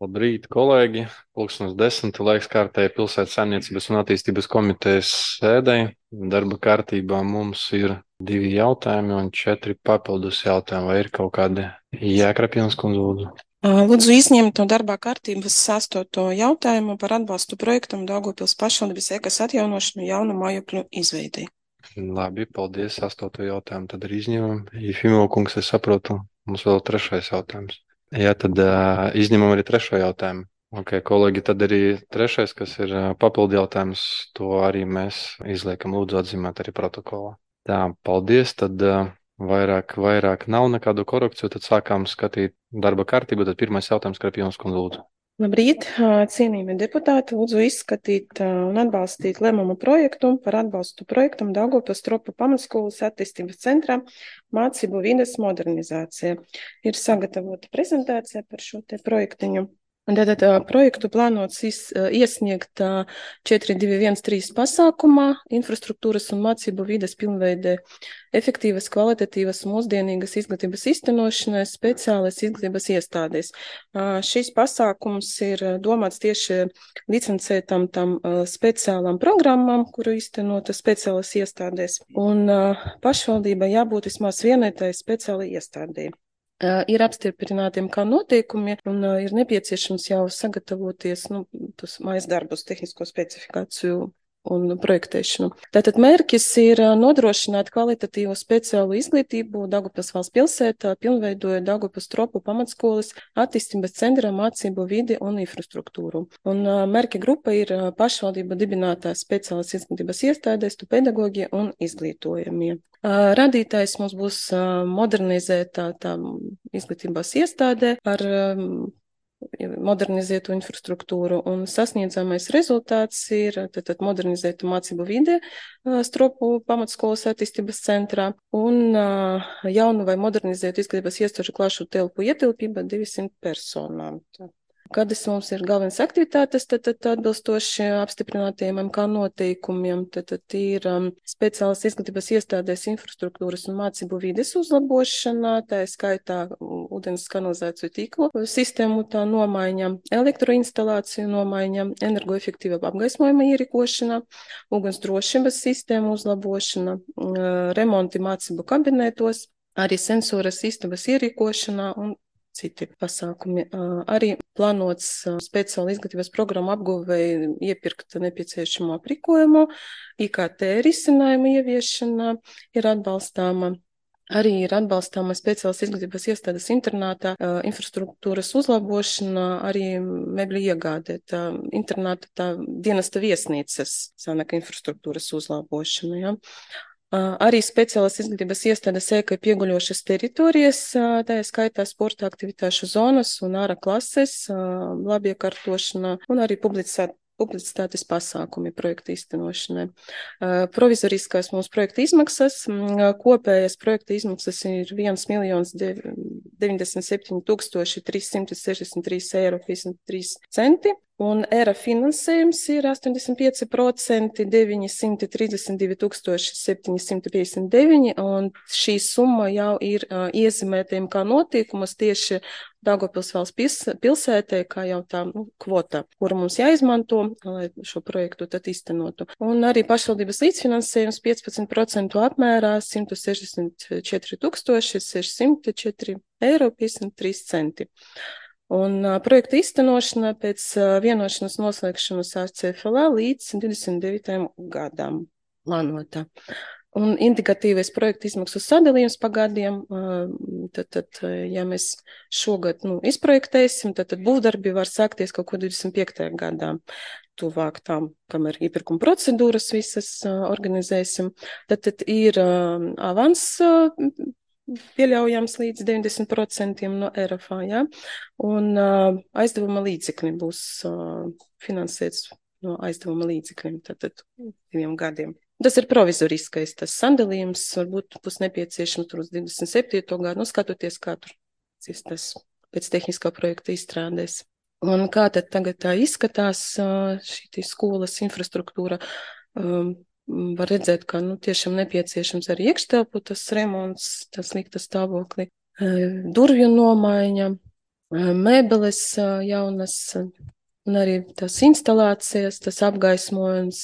Labrīt, kolēģi! Pulkstenis 10. laiks kārtēji pilsētas saimniecības un attīstības komitejas sēdei. Darba kārtībā mums ir 2 jautājumi un 4 papildus jautājumi. Vai ir kaut kādi Jēkrapjons kundze lūdzu? Lūdzu izņemt no darbā kārtības 8. jautājumu par atbalstu projektam Daugavpils pašvaldības ekas atjaunošanu jaunu mājokļu izveidei. Labi, paldies. 8. jautājumu tad ir izņemam. Jefimov kungs, es saprotu, mums vēl 3. jautājums. Jā, tad izņemam arī 3. jautājumu. Ok, kolēģi, tad arī 3., kas ir papildu jautājums, to arī mēs izliekam, lūdzu atzīmēt arī protokolā. Tā, paldies, tad vairāk nav nekādu korekciju, tad sākām skatīt darba kārtību, tad pirmais jautājums, Krapjons kundze, lūdzu. Labrīt, cienījamie deputāti, lūdzu izskatīt un atbalstīt lēmumu projektu par atbalstu projektam Daugavpils Tropu pamatskolas attīstības centrā mācību vides modernizācija. Ir sagatavota prezentācija par šo te projektiņu. Un tātad projektu plānots iesniegt 4213 pasākumā infrastruktūras un mācību vides pilnveidē efektīvas, kvalitatīvas, mūsdienīgas izglītības iztenošanai speciālas izglītības iestādēs. Šis pasākums ir domāts tieši licencētam tam speciālām programmām, kuru iztenota speciālas iestādēs, un pašvaldībai jābūt vismaz vienai tai speciālai iestādē. Ir apstiprinātiem kā noteikumi un ir nepieciešams jau sagatavoties tos mājas darbus, tehnisko specifikāciju un projektēšanu. Tātad mērķis ir nodrošināt kvalitatīvu speciālu izglītību Daugavpils valsts pilsētā, pilnveidojot Daugavpils Tropu pamatskolas attīstības centra mācību vidi un infrastruktūru. Un mērķa grupa ir pašvaldība dibinātās speciālas izglītības iestādēs, pedagoģi un izglītojamie. Radītājs mums būs modernizētā tā izglītības iestādē ar modernizētu infrastruktūru, un sasniedzamais rezultāts ir tad modernizēta mācību vide Tropu pamatskolas attīstības centrā un jaunu vai modernizētu izglītības iestāžu klašu telpu ietilpība 200 personām. Kādas mums ir galvenās aktivitātes, tad atbilstoši apstiprinātajiem MK noteikumiem, tad ir speciālas izglītības iestādēs infrastruktūras un mācību vides uzlabošana, tā ir skaitā ūdens kanalizāciju tīklu sistēmu tā nomaiņa, elektroinstalāciju nomaiņa, energoefektīva apgaismojuma ierīkošana, uguns drošības sistēmu uzlabošana, remonti mācību kabinetos, arī sensoras istabas ierīkošana un citi pasākumi. Arī plānots speciāli izglītības programmu apguvēji iepirkt nepieciešamo aprīkojumu, IKT risinājumu ieviešana ir atbalstāma. Arī ir atbalstāma speciālas izglītības iestādes internātā, infrastruktūras uzlabošana, arī mebļu iegādē, internāta tā dienesta viesnīcas sanaka infrastruktūras uzlabošana, ja. Arī speciālas izglītības iestādes ēkai pieguļošas teritorijas, tā ir skaitā sporta aktivitāšu zonas un ārā klases, labiekārtošana un arī publicitātes pasākumi projekta īstenošanai. Provizoriskās mūsu projekta izmaksas, kopējās projekta izmaksas ir 1 997 363,53 €, un ERA finansējums ir 85% 932 759, un šī summa jau ir iezīmētiem kā notiekumus tieši Daugavpils valsts pilsētē, kā jau tā kvota, kura mums jāizmanto, lai šo projektu tad iztenotu. Un arī pašvaldības līdzfinansējums 15% apmērā 164 604,53 €. Un projekta iztenošana pēc vienošanas noslēgšanas ar CFLA līdz 29. gadam plānotā. Un indikatīvais projekta izmaksu sadalījums pa gadiem, tad ja mēs šogad izprojektēsim, tad būvdarbi var sākties kaut ko 25. gadā, tuvāk tam, kamēr iepirkuma procedūras visas organizēsim. Tad ir avans pieļaujams līdz 90% no RFA, ja? Un aizdevuma līdzekļi būs finansēts no aizdevuma līdzekļiem, tad 2 gadiem. Tas ir provizoriskais, tas sadalījums varbūt būs nepieciešams tur uz 27. gadu, skatoties, kā tur tas pēc tehniskā projekta izstrādēs. Un kā tad tagad tā izskatās šī skolas infrastruktūra? Var redzēt, ka tiešām nepieciešams arī iekštelpu tas remonts, tas slikta stāvokli, durvju nomaiņa, mēbeles jaunas un arī tās instalācijas, tas apgaismojums,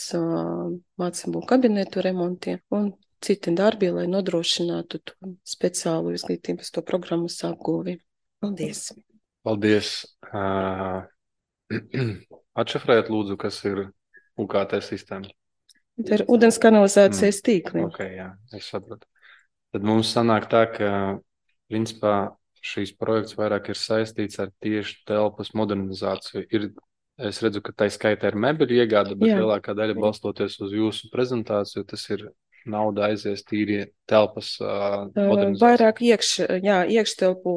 mācību kabinetu remontiem un citi darbi, lai nodrošinātu to speciālu izglītības to programmas apguvi. Paldies! Paldies! Atšifrēt lūdzu, kas ir UKT sistēma. Tā ir ūdens kanalizācijas tīkli. Ok, jā, es sapratu. Tad mums sanāk tā, ka principā šīs projekts vairāk ir saistīts ar tieši telpas modernizāciju. Es redzu, ka tā skaitā ir mēbeļu iegāde, bet lielākā daļa balstoties uz jūsu prezentāciju, tas ir nauda aizies tīri telpas modernizāciju. Vairāk iekštelpu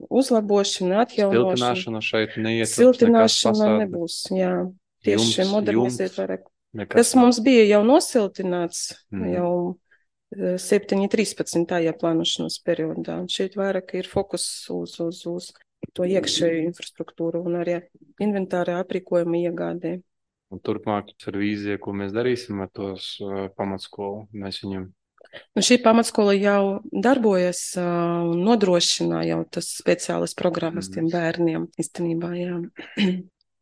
uzlabošana, atjaunošana. Siltināšana šeit neiet. Siltināšana nebūs, jā. Tieši modernizēt vairāk. Tas mums bija jau nosiltināts jau 7.13. plānošanas periodā. Un šeit vairāk ir fokus uz to iekšēju infrastruktūru un arī inventārā aprīkojuma iegādē. Un turpmāk ar vīziju, ko mēs darīsim ar tos pamatskolu, mēs viņam. Šī pamatskola jau darbojas un nodrošina jau tas speciālas programmas tiem bērniem īstenībā, jā.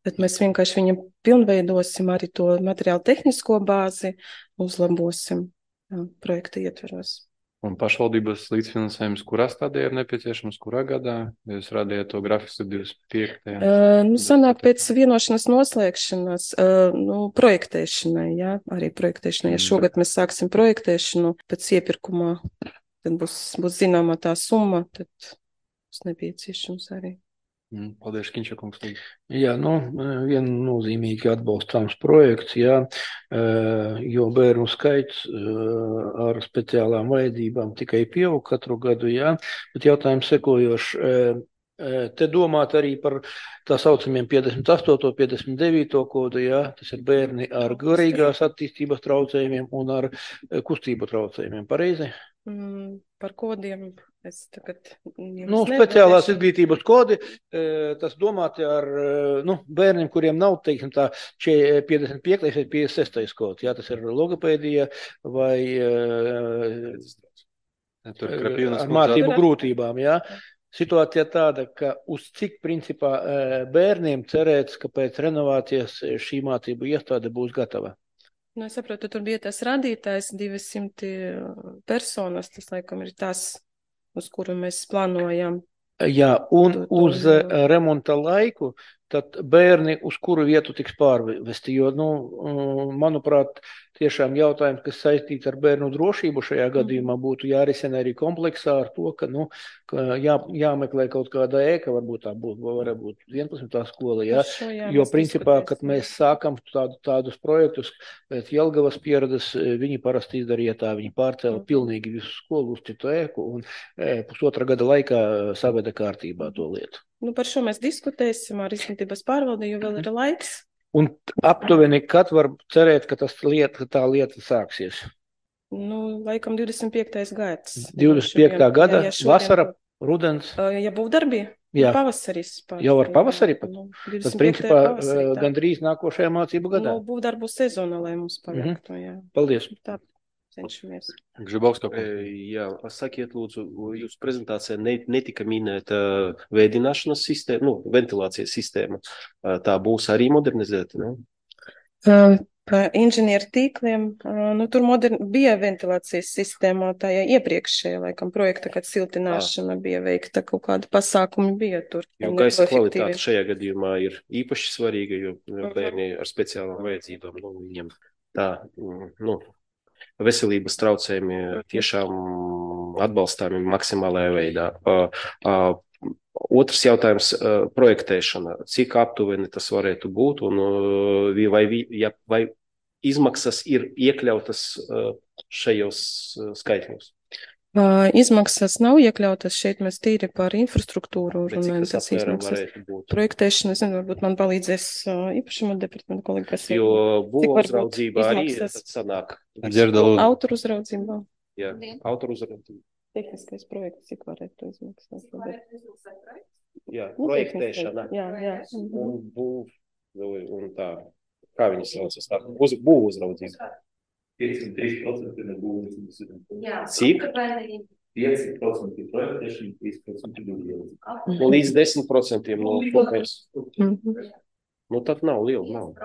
Bet mēs vienkārši viņam pilnveidosim arī to materiālu tehnisko bāzi, uzlabosim projekta ietveros. Un pašvaldības līdzfinansējums, kurā stadijā ir nepieciešams, kurā gadā? Jūs rādījāt to grafiku 25. Sanāk pēc vienošanas noslēgšanas, projektēšanai, jā, arī projektēšanai. Ja šogad mēs sāksim projektēšanu pēc iepirkumā, tad būs zināmā tā summa, tad būs nepieciešams arī. Paldies, Kiņša kungs. Jā, viennozīmīgi atbalstāms projekts, jā, jo bērnu skaits ar speciālām vajadzībām tikai pieaug katru gadu, jā, bet jautājums sekojošs. Te domāt arī par tā saucamiem 58. 59. kodu, jā, tas ir bērni ar garīgās attīstības traucējumiem un ar kustību traucējumiem, pareizi? Par kodiem es tagad speciālās izglītības kodi, tas domāti ar bērniem, kuriem nav, teiksim tā, 55. vai 56. kods, jā, tas ir logopēdija vai ar mācību grūtībām, jā. Situācija tāda, ka uz cik principā bērniem cerēts, ka pēc renovācijas šī mācību iestāde būs gatava? Es saprotu, tur bija tas radītājs 200 personas, tas laikam ir tas, uz kuru mēs plānojam. Jā, un uz remonta laiku, tad bērni uz kuru vietu tiks pārvesti, jo, manuprāt, tiešām jautājums, kas saistīts ar bērnu drošību šajā gadījumā būtu jārisina arī kompleksā ar to, ka jāmeklē kaut kāda ēka, varbūt tā varētu būt 11. skola, jā, jo principā, kad mēs sākam tādus projektus pēc Jelgavas pieredzes, viņi parasti izdarīja tā, viņi pārcēla pilnīgi visu skolu uz citu ēku un pusotra gada laikā saveda kārtībā to lietu. Par šo mēs diskutēsim ar izglītības pārvaldi, jo vēl ir laiks. Un aptuveni, kad var cerēt, ka tā lieta sāksies? Laikam 25. gads. 25. gada, vasara, rudens? Ja būvdarbi, pavasaris. Jau ar pavasari pat? Tas principā gandrīz nākošajā mācību gadā. Būvdarbu sezona, lai mums paliktu, jā. Paldies. Tā. Cenšamies. Jā, sakiet, lūdzu, jūsu prezentācijā netika minēta vēdināšanas sistēma, ventilācijas sistēma. Tā būs arī modernizēta, ne? Pa inženieru tīkliem, tur bija ventilācijas sistēma, tā iepriekšējā, laikam, projekta, kad siltināšana bija veikta, kaut kāda pasākumi bija tur. Jo gaisa kvalitāte šajā gadījumā ir īpaši svarīga, jo bērni ar speciālām vajadzībām, viņiem tā, veselības traucējumi tiešām atbalstāmi maksimālajā veidā. Otrs jautājums - projektēšana. Cik aptuveni tas varētu būt un vai izmaksas ir iekļautas šajos skaitļos? Izmaksas nav iekļautas šeit, mēs tīri par infrastruktūru runājam. Tas izmaksas projektēšana, varbūt man palīdzēs īpašuma departamenta kolēģi, kas ir. Jo būvuzraudzība arī sanāk. Autoru uzraudzībā. Jā, autoru uzraudzībā. Tehniskais projekts, cik varētu izmaksāt? Jā, projektēšana. Jā. Un tā, kā viņi saucas, tā būvuzraudzība. 503% nebūs. Cik? 5% projektēšana, 3% budžets. Nu, līdz 10% no kopējas. Nu, tad nav liela nauda.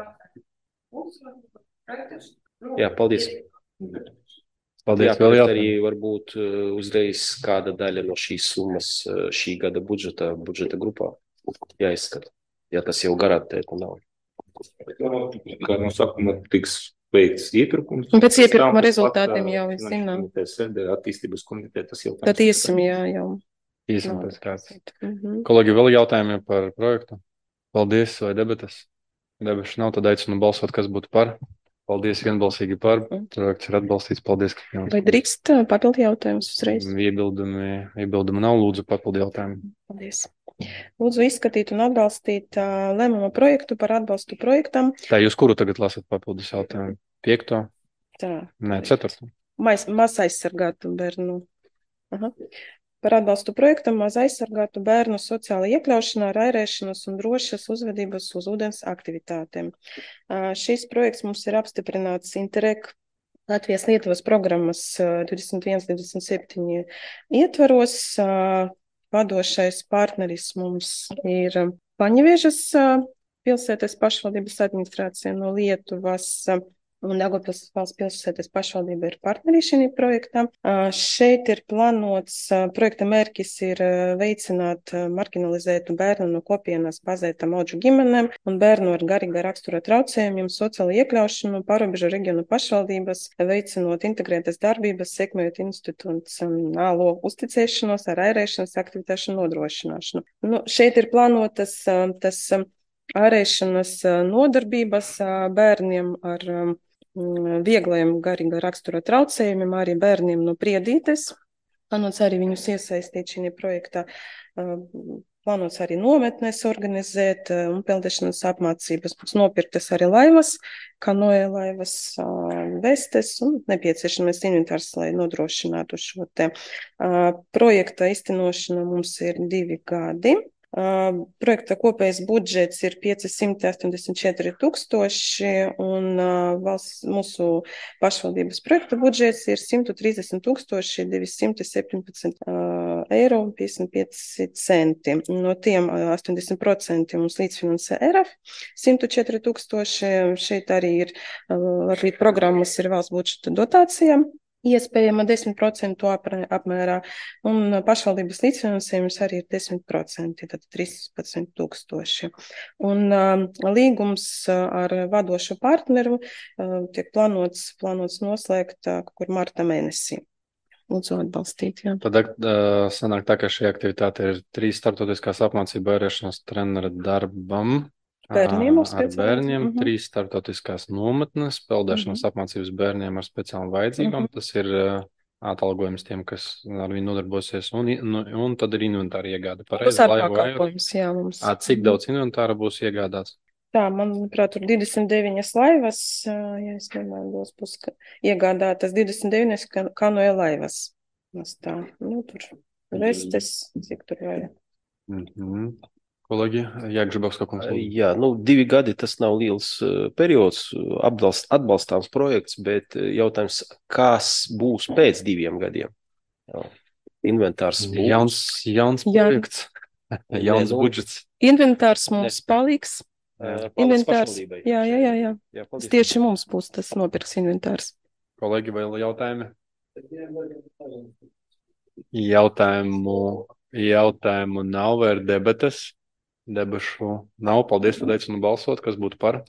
Jā, paldies. Paldies, Jā, vēl arī jautājumu. varbūt uzreiz kāda daļa no šīs summas šī gada budžeta grupā jāizskata, ja tas jau garantēta nav. Kā no sākuma tiks veikts iepirkums. Un pēc iepirkuma rezultātiem jau es zinām. Attīstības komitē tas jau. Tad iesim, jā, jau. Īsim pēc kāds. Kolēģi, vēl jautājumi par projektu? Paldies, vai debatas? Debašu nav, tad aicinu balsot, kas būtu par. Paldies, vienbalsīgi par. Projekts ir atbalstīts. Paldies, ka jums. Vai drīkst papildu jautājumus uzreiz? Iebildumi nav, lūdzu, papildu jautājumu. Paldies. Lūdzu izskatīt un atbalstīt lēmuma projektu par atbalstu projektam. Tā jūs kuru tagad lasat papildus jautājumu? 5. Tā. Nē, 4. Maz aizsargātu bērnu. Aha. Par atbalstu projektam maz aizsargātu bērnu sociāla iekļaušanā, rairēšanas un drošas uzvedības uz ūdens aktivitātēm. Šīs projekts mums ir apstiprināts Interreg Latvijas-Lietuvas programmas 21-27 ietvaros. Vadošais partneris mums ir Paņeviežas pilsētas pašvaldības administrācija no Lietuvas. Un Daugavpils valsts pilsētas pašvaldība ir partneri šī projektā. Šeit ir plānots, projekta mērķis ir veicināt marginalizētu bērnu no kopienas bazētām audžu ģimenēm un bērnu ar garīgā rakstura traucējumiem, sociālo iekļaušanu, pārobežu reģionu pašvaldības, veicinot integrētas darbības, sekmējot institucionālo uzticēšanos ar ārēšanas aktivitāšu nodrošināšanu. Nu, šeit ir plānotas tas ārēšanas nodarbības bērniem ar viegliem garīga rakstura traucējumiem, arī bērniem no Priedītes. Plānots arī viņus iesaistīt šī projektā. Plānots arī nometnes organizēt un peldēšanas apmācības. Mums nopirktas arī laivas, kanoja laivas, vestes un nepieciešamais inventārs, lai nodrošinātu šo te projekta īstenošanu. Mums ir 2 gadi. Projekta kopējais budžets ir 584 000 un mūsu pašvaldības projekta budžets ir 130 217 eiro un 55 centi. No tiem 80% mums līdzfinansē ERAF 104 000. Šeit arī ir Latvijas programmas ir valsts budžeta dotācijām. Iespējama 10% apmērā, un pašvaldības līdzfinansējums arī ir 10%, tad 13 000. Un līgums ar vadošu partneru tiek plānots noslēgt kur marta mēnesī. Lūdzu atbalstīt, jā. Tad sanāk tā, ka šī aktivitāte ir 3 startautiskās apmācība ārēšanas trenera darbam. Bērniem ar bērniem, 3 startautiskās nometnes, peldēšanas apmācības bērniem ar speciālām vajadzībām. Tas ir atalgojums tiem, kas ar viņu nodarbosies, un tad ir inventāra iegāde. Tas ar pakalpojums, jā, mums. Cik daudz inventāra būs iegādāts? Tā, manuprāt, tur 29 laivas, ja es nemaldos, būs iegādātas 29 kanoja laivas. Tā, nu, tur vestes, cik tur vajag. Kolēģi, Jāgžibovska kungs. Jā, 2 gadi tas nav liels periods, atbalstāms projekts, bet jautājums, kas būs pēc 2 gadiem? Inventārs būs. Jauns projekts, jauns budžets. Inventārs mums paliks. Inventārs, jā. Tieši mums būs tas nopirks inventārs. Kolēģi, vēl jautājumi? Jautājumu nav, vai ir debates? Debašu nav. Paldies, tad aicinu balsot, kas būtu par.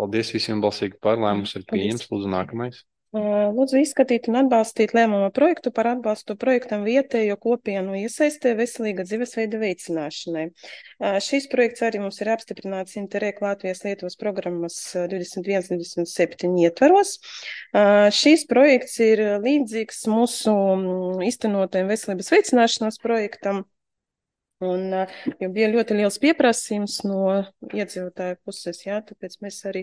Paldies visiem balsīgi par. Lēmums ir pieņems. Lūdzu, nākamais. Lūdzu izskatīt un atbalstīt lēmuma projektu par atbalstu projektam vietējo kopienu iesaistē veselīga dzīvesveida veicināšanai. Šīs projekts arī mums ir apstiprināts Interreg Latvijas-Lietuvas programmas 21-27 ietvaros. Šīs projekts ir līdzīgs mūsu īstenotajam veselības veicināšanas projektam. Un jo bija ļoti liels pieprasījums no iedzīvotāju puses, jā, tāpēc mēs arī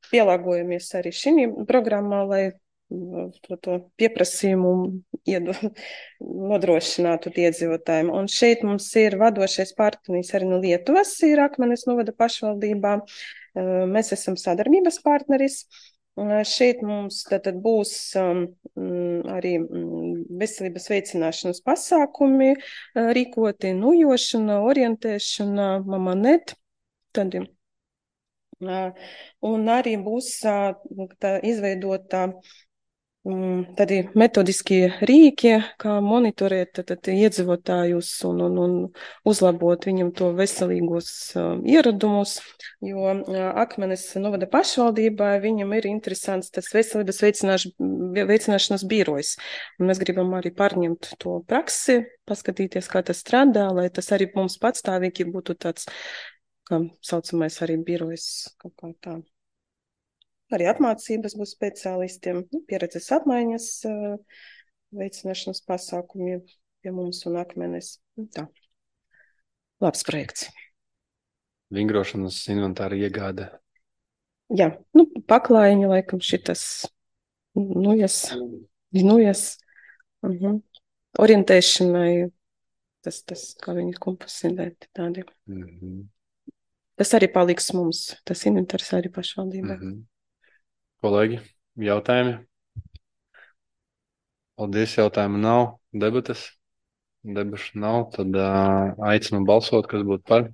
pielāgojamies arī šī programmā, lai to pieprasījumu nodrošinātu iedzīvotājiem. Un šeit mums ir vadošais partneris arī no Lietuvas, ir Akmenes novada pašvaldībā. Mēs esam sadarbības partneris. Šeit mums tad būs arī veselības veicināšanas pasākumi, rīkoti nujošana, orientēšana, mamanet, tad un arī būs tā izveidota tādi metodiskie rīki, kā monitorēt tad iedzīvotājus un uzlabot viņam to veselīgos ieradumus, jo Akmenes novada pašvaldībā viņam ir interesants tas veselības veicināšanas birojs. Un mēs gribam arī pārņemt to praksi, paskatīties, kā tas strādā, lai tas arī mums patstāvīgi būtu tāds, kā saucamais arī birojs kaut kā tā. Arī apmācības būs speciālistiem, pieredzes apmaiņas, veicināšanas pasākumi pie mums un Akmenes. Tā. Labs projekts. Vingrošanas inventāra iegāde. Jā, paklājiņa laikam šitas nujas. Orientēšanai, tas, kā viņi kompasindēti tādi. Tas arī paliks mums, tas inventārs arī pašvaldībā. Kolēģi, jautājumi? Paldies, jautājumu nav. Debates? Debašu nav, tad aicinu balsot, kas būtu par.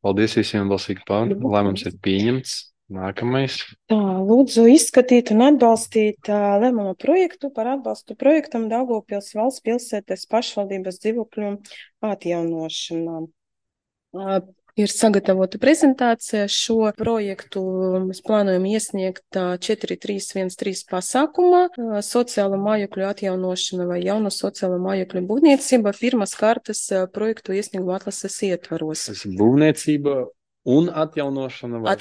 Paldies visiem balsīgi par. Lēmums ir pieņemts. Nākamais. Tā, lūdzu izskatīt un atbalstīt lēmumu projektu par atbalstu projektam Daugavpils valsts pilsētas pašvaldības dzīvokļu atjaunošanā. Ir sagatavota prezentācija. Šo projektu mēs plānojam iesniegt 4313 pasākumā. Sociālo mājokļu atjaunošana vai jaunu sociālo mājokļu būvniecība pirmas kārtas projektu iesnieguma atlases ietvaros. Tas ir būvniecība un atjaunošana vai?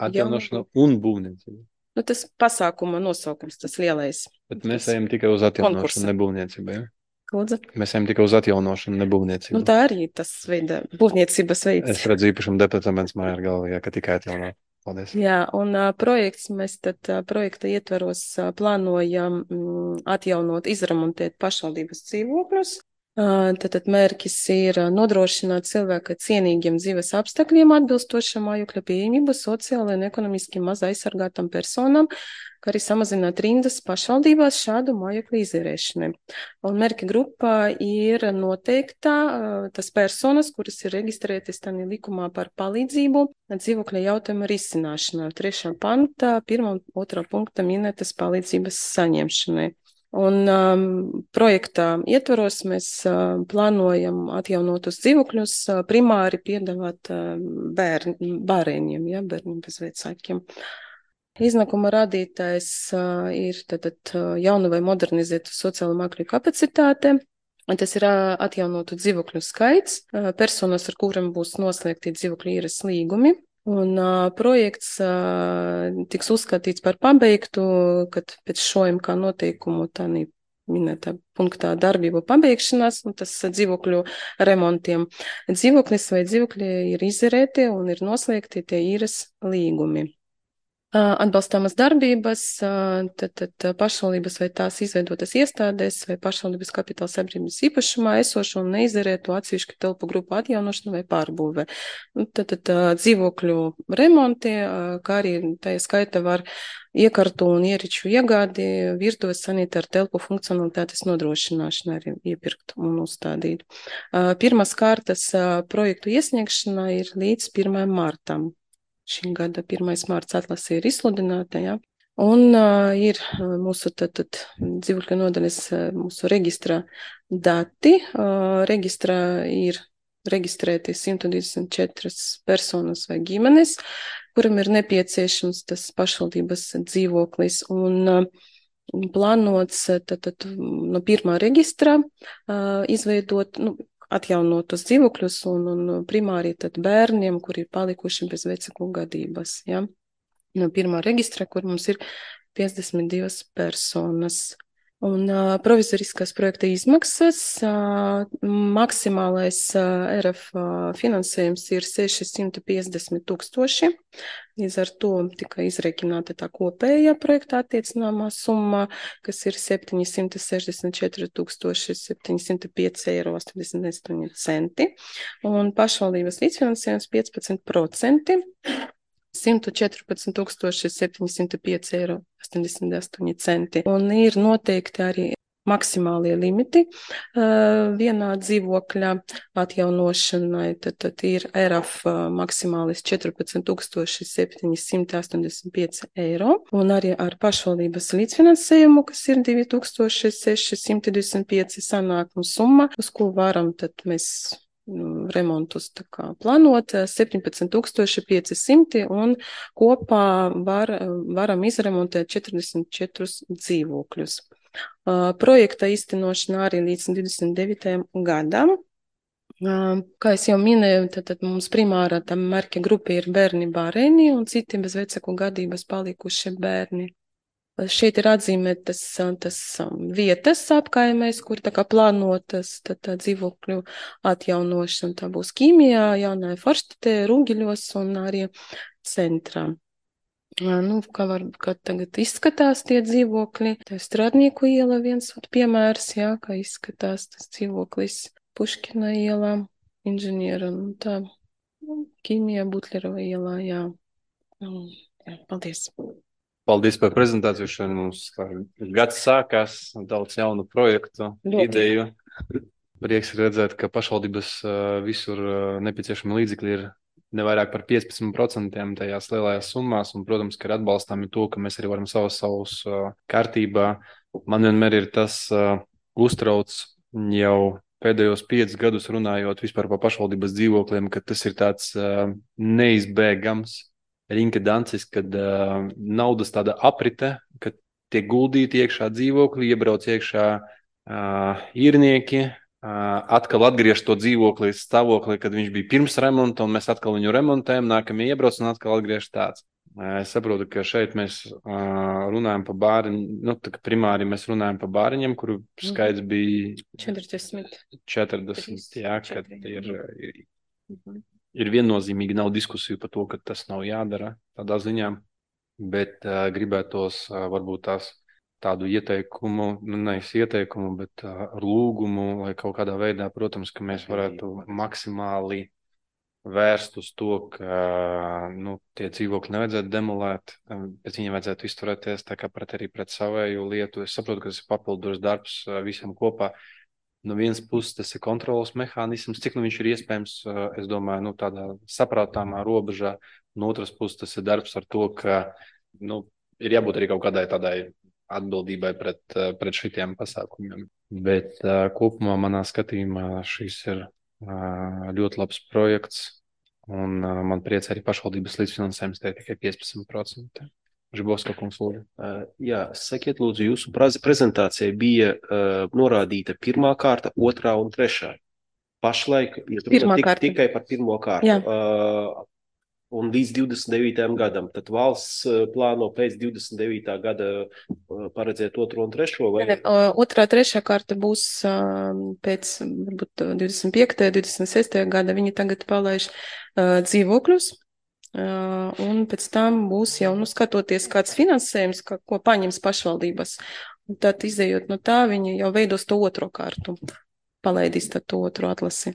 Atjaunošana un būvniecība. Tas pasākuma nosaukums, tas lielais. Bet mēs ejam tikai uz atjaunošanu, ne būvniecību, ja? Lūdzu? Mēs ejam tikai uz atjaunošanu, ne būvniecību. Tā arī tas veida būvniecības veids. Es redzu īpašam departaments mājā ar galvu, ka tikai atjaunot. Paldies. Jā, un projekts mēs tad projekta ietvaros plānojam atjaunot, izremontēt pašvaldības dzīvokļus. Tātad mērķis ir nodrošināt cilvēka cienīgiem dzīves apstākļiem atbilstošam mājokļa pieejamību sociāli un ekonomiski maz aizsargātam personām, kā arī samazināt rindas pašvaldībās šādu mājokļu izīrēšanai. Un mērķa grupā ir noteikta tas personas, kuras ir reģistrētas tādā likumā par palīdzību dzīvokļa jautājuma risināšanā. 3. pantā 1. un 2. punktā minētas palīdzības saņemšanai. Un projektā ietvaros mēs plānojam atjaunotus dzīvokļus primāri piedāvāt bērniem, bērniem bez vecākiem. Iznākuma rādītājs ir tātad jaunu vai modernizētu sociālo mājokļu kapacitāte. Tas ir atjaunotu dzīvokļu skaits, personas, ar kuriem būs noslēgti dzīvokļu īres līgumi. Un projekts tiks uzskatīts par pabeigtu, kad pēc šojam kā noteikumu tā minētā punktā darbību pabeigšanās, un tas dzīvokļu remontiem. Dzīvoklis vai dzīvokļi ir izerēti un ir noslēgti tie īres līgumi. Atbalstāmas darbības, tad pašvaldības vai tās izveidotas iestādēs vai pašvaldības kapitāla sabiedrības īpašumā esošo un neizerētu atsevišķu telpu grupu atjaunošanu vai pārbūve. Tad dzīvokļu remonti, kā arī tajā skaita var iekartu un ieriču iegādi, virtuves sanitāru telpu funkcionalitātes nodrošināšanu arī iepirkt un uzstādīt. Pirmās kārtas projektu iesniegšana ir līdz 1. martam. Šī gada 1. mārts atlase ir izsludināta, ja? Un ir mūsu dzīvokļu nodaļas, mūsu reģistra dati. Reģistrā ir reģistrēti 124 personas vai ģimenes, kuram ir nepieciešams tas pašvaldības dzīvoklis. Un plānots no pirmā reģistra izveidot, atjaunotus dzīvokļus un primāri tad bērniem, kuri ir palikuši bez vecāku gadības. Ja? No pirmā reģistra, kur mums ir 52 personas. Un provizoriskās projekta izmaksas, maksimālais RF finansējums ir 650 000. Līdz ar to tika izreikināta tā kopējā projekta attiecināmā summa, kas ir 764 705,88 €. Un pašvaldības līdzfinansējums 15%. 114 705,88 eiro. Un ir noteikti arī maksimālie limiti vienā dzīvokļa atjaunošanai. Tad ir ERAF maksimālis 14 785 eiro. Un arī ar pašvaldības līdzfinansējumu, kas ir 2625 sanākuma summa, uz ko varam tad mēs remontus tā kā plānot 17 500 un kopā varam izremontēt 44 dzīvokļus. Projekta īstenošana arī līdz 29. gadam. Kā es jau minēju, tad mums primārā tā mērķa grupa ir bērni bērni un citi bez vecāku gadības palikušie bērni. Šeit ir atzīmētas tas vietas apkaimēs, kur tā kā plānotas tā dzīvokļu atjaunošana. Tā būs Ķīmijā, Jaunajā Forštatē, Rūgiļos un arī centrā. Kā tagad izskatās tie dzīvokļi. Tā ir Strādnieku iela viens piemērs, kā izskatās tas dzīvoklis. Puškina ielā, Inženiera un tā. Ķīmijā, Butlerova ielā, jā. Paldies. Paldies par prezentāciju. Mums gads sākās, daudz jaunu projektu, ideju. Prieks redzēt, ka pašvaldības visur nepieciešami līdzekļi ir nevairāk par 15% tajās lielajās summās, un, protams, ka ir atbalstāmi to, ka mēs arī varam savus kārtībā. Man vienmēr ir tas uztrauc jau pēdējos 5 gadus runājot vispār par pašvaldības dzīvokļiem, ka tas ir tāds neizbēgams rinkedancis, kad naudas tāda aprite, kad tiek guldīti iekšā dzīvokļi, iebrauc iekšā īrnieki, atkal atgriež to dzīvokli stāvoklī, kad viņš bija pirms remonta, un mēs atkal viņu remontējam, nākamie iebrauc un atkal atgriež tāds. Es saprotu, ka šeit mēs runājam par bāriņu, primāri mēs runājam par bāriņiem, kuru skaits bija 40, jā, kad ir viennozīmīgi nav diskusiju par to, ka tas nav jādara tādā ziņā, bet gribētos varbūt tādu ieteikumu, nevis ieteikumu, bet lūgumu, lai kaut kādā veidā, protams, ka mēs varētu maksimāli vērst uz to, ka tie dzīvokļi nevajadzētu demolēt, bet viņiem vajadzētu izturēties tā kā arī pret savēju lietu. Es saprotu, ka tas ir papildus darbs visam kopā. No vienas puses tas ir kontrolas mehānisms, cik viņš ir iespējams, es domāju, tādā saprātāmā robežā. No otras puses tas ir darbs ar to, ka ir jābūt arī kaut kādai tādai atbildībai pret šitiem pasākumiem. Bet kopumā manā skatījumā šis ir ļoti labs projekts, un man priecē arī pašvaldības līdzfinansējums te tikai 15%. Žibovska kungs, lūdzu. Jā, sakiet, lūdzu, jūsu prezentācijā bija norādīta pirmā kārta, otrā un trešā. Pašlaik tikai par pirmo kārtu. Un līdz 29. gadam. Tad valsts plāno pēc 29. gada paredzēt otro un trešo? Vai? Otrā, trešā kārta būs pēc varbūt 25. 26. gada. Viņi tagad palaiž dzīvokļus. Un pēc tam būs jau, skatoties, kāds finansējums, ko paņems pašvaldības. Un tad, izējot no tā, viņi jau veidos to otro kārtu. Palaidīs tad to otro atlasi.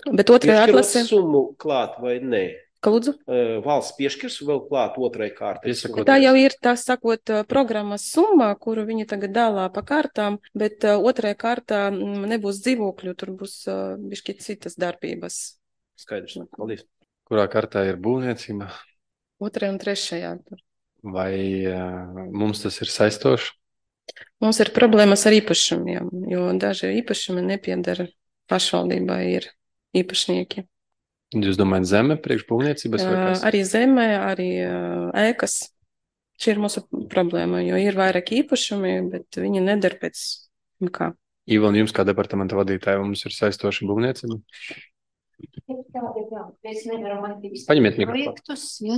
Bet otrajā atlasi... summu klāt vai nē? Ka lūdzu? Valsts piešķirs vēl klāt otrai kārtai. Tā jau ir, tā sakot, programmas summa, kuru viņi tagad dālā pa kārtām, bet otrajā kārtā nebūs dzīvokļu, tur būs bišķi citas darbības. Skaidrs, paldies. Kurā kārtā ir būvniecība? Otrajā un trešajā. Vai mums tas ir saistoši? Mums ir problēmas ar īpašumiem, jo daži īpašumi nepiedara pašvaldībai, ir īpašnieki. Jūs domājat zeme priekš būvniecības vai kas? Arī zeme, arī ēkas. Šī ir mūsu problēma, jo ir vairāk īpašumi, bet viņi nedara pēc kā. Ivon, jums kā departamenta vadītāja, mums ir saistoša būvniecība? Jā, mēs nevaram attīstīt Paņemiet projektus, ja?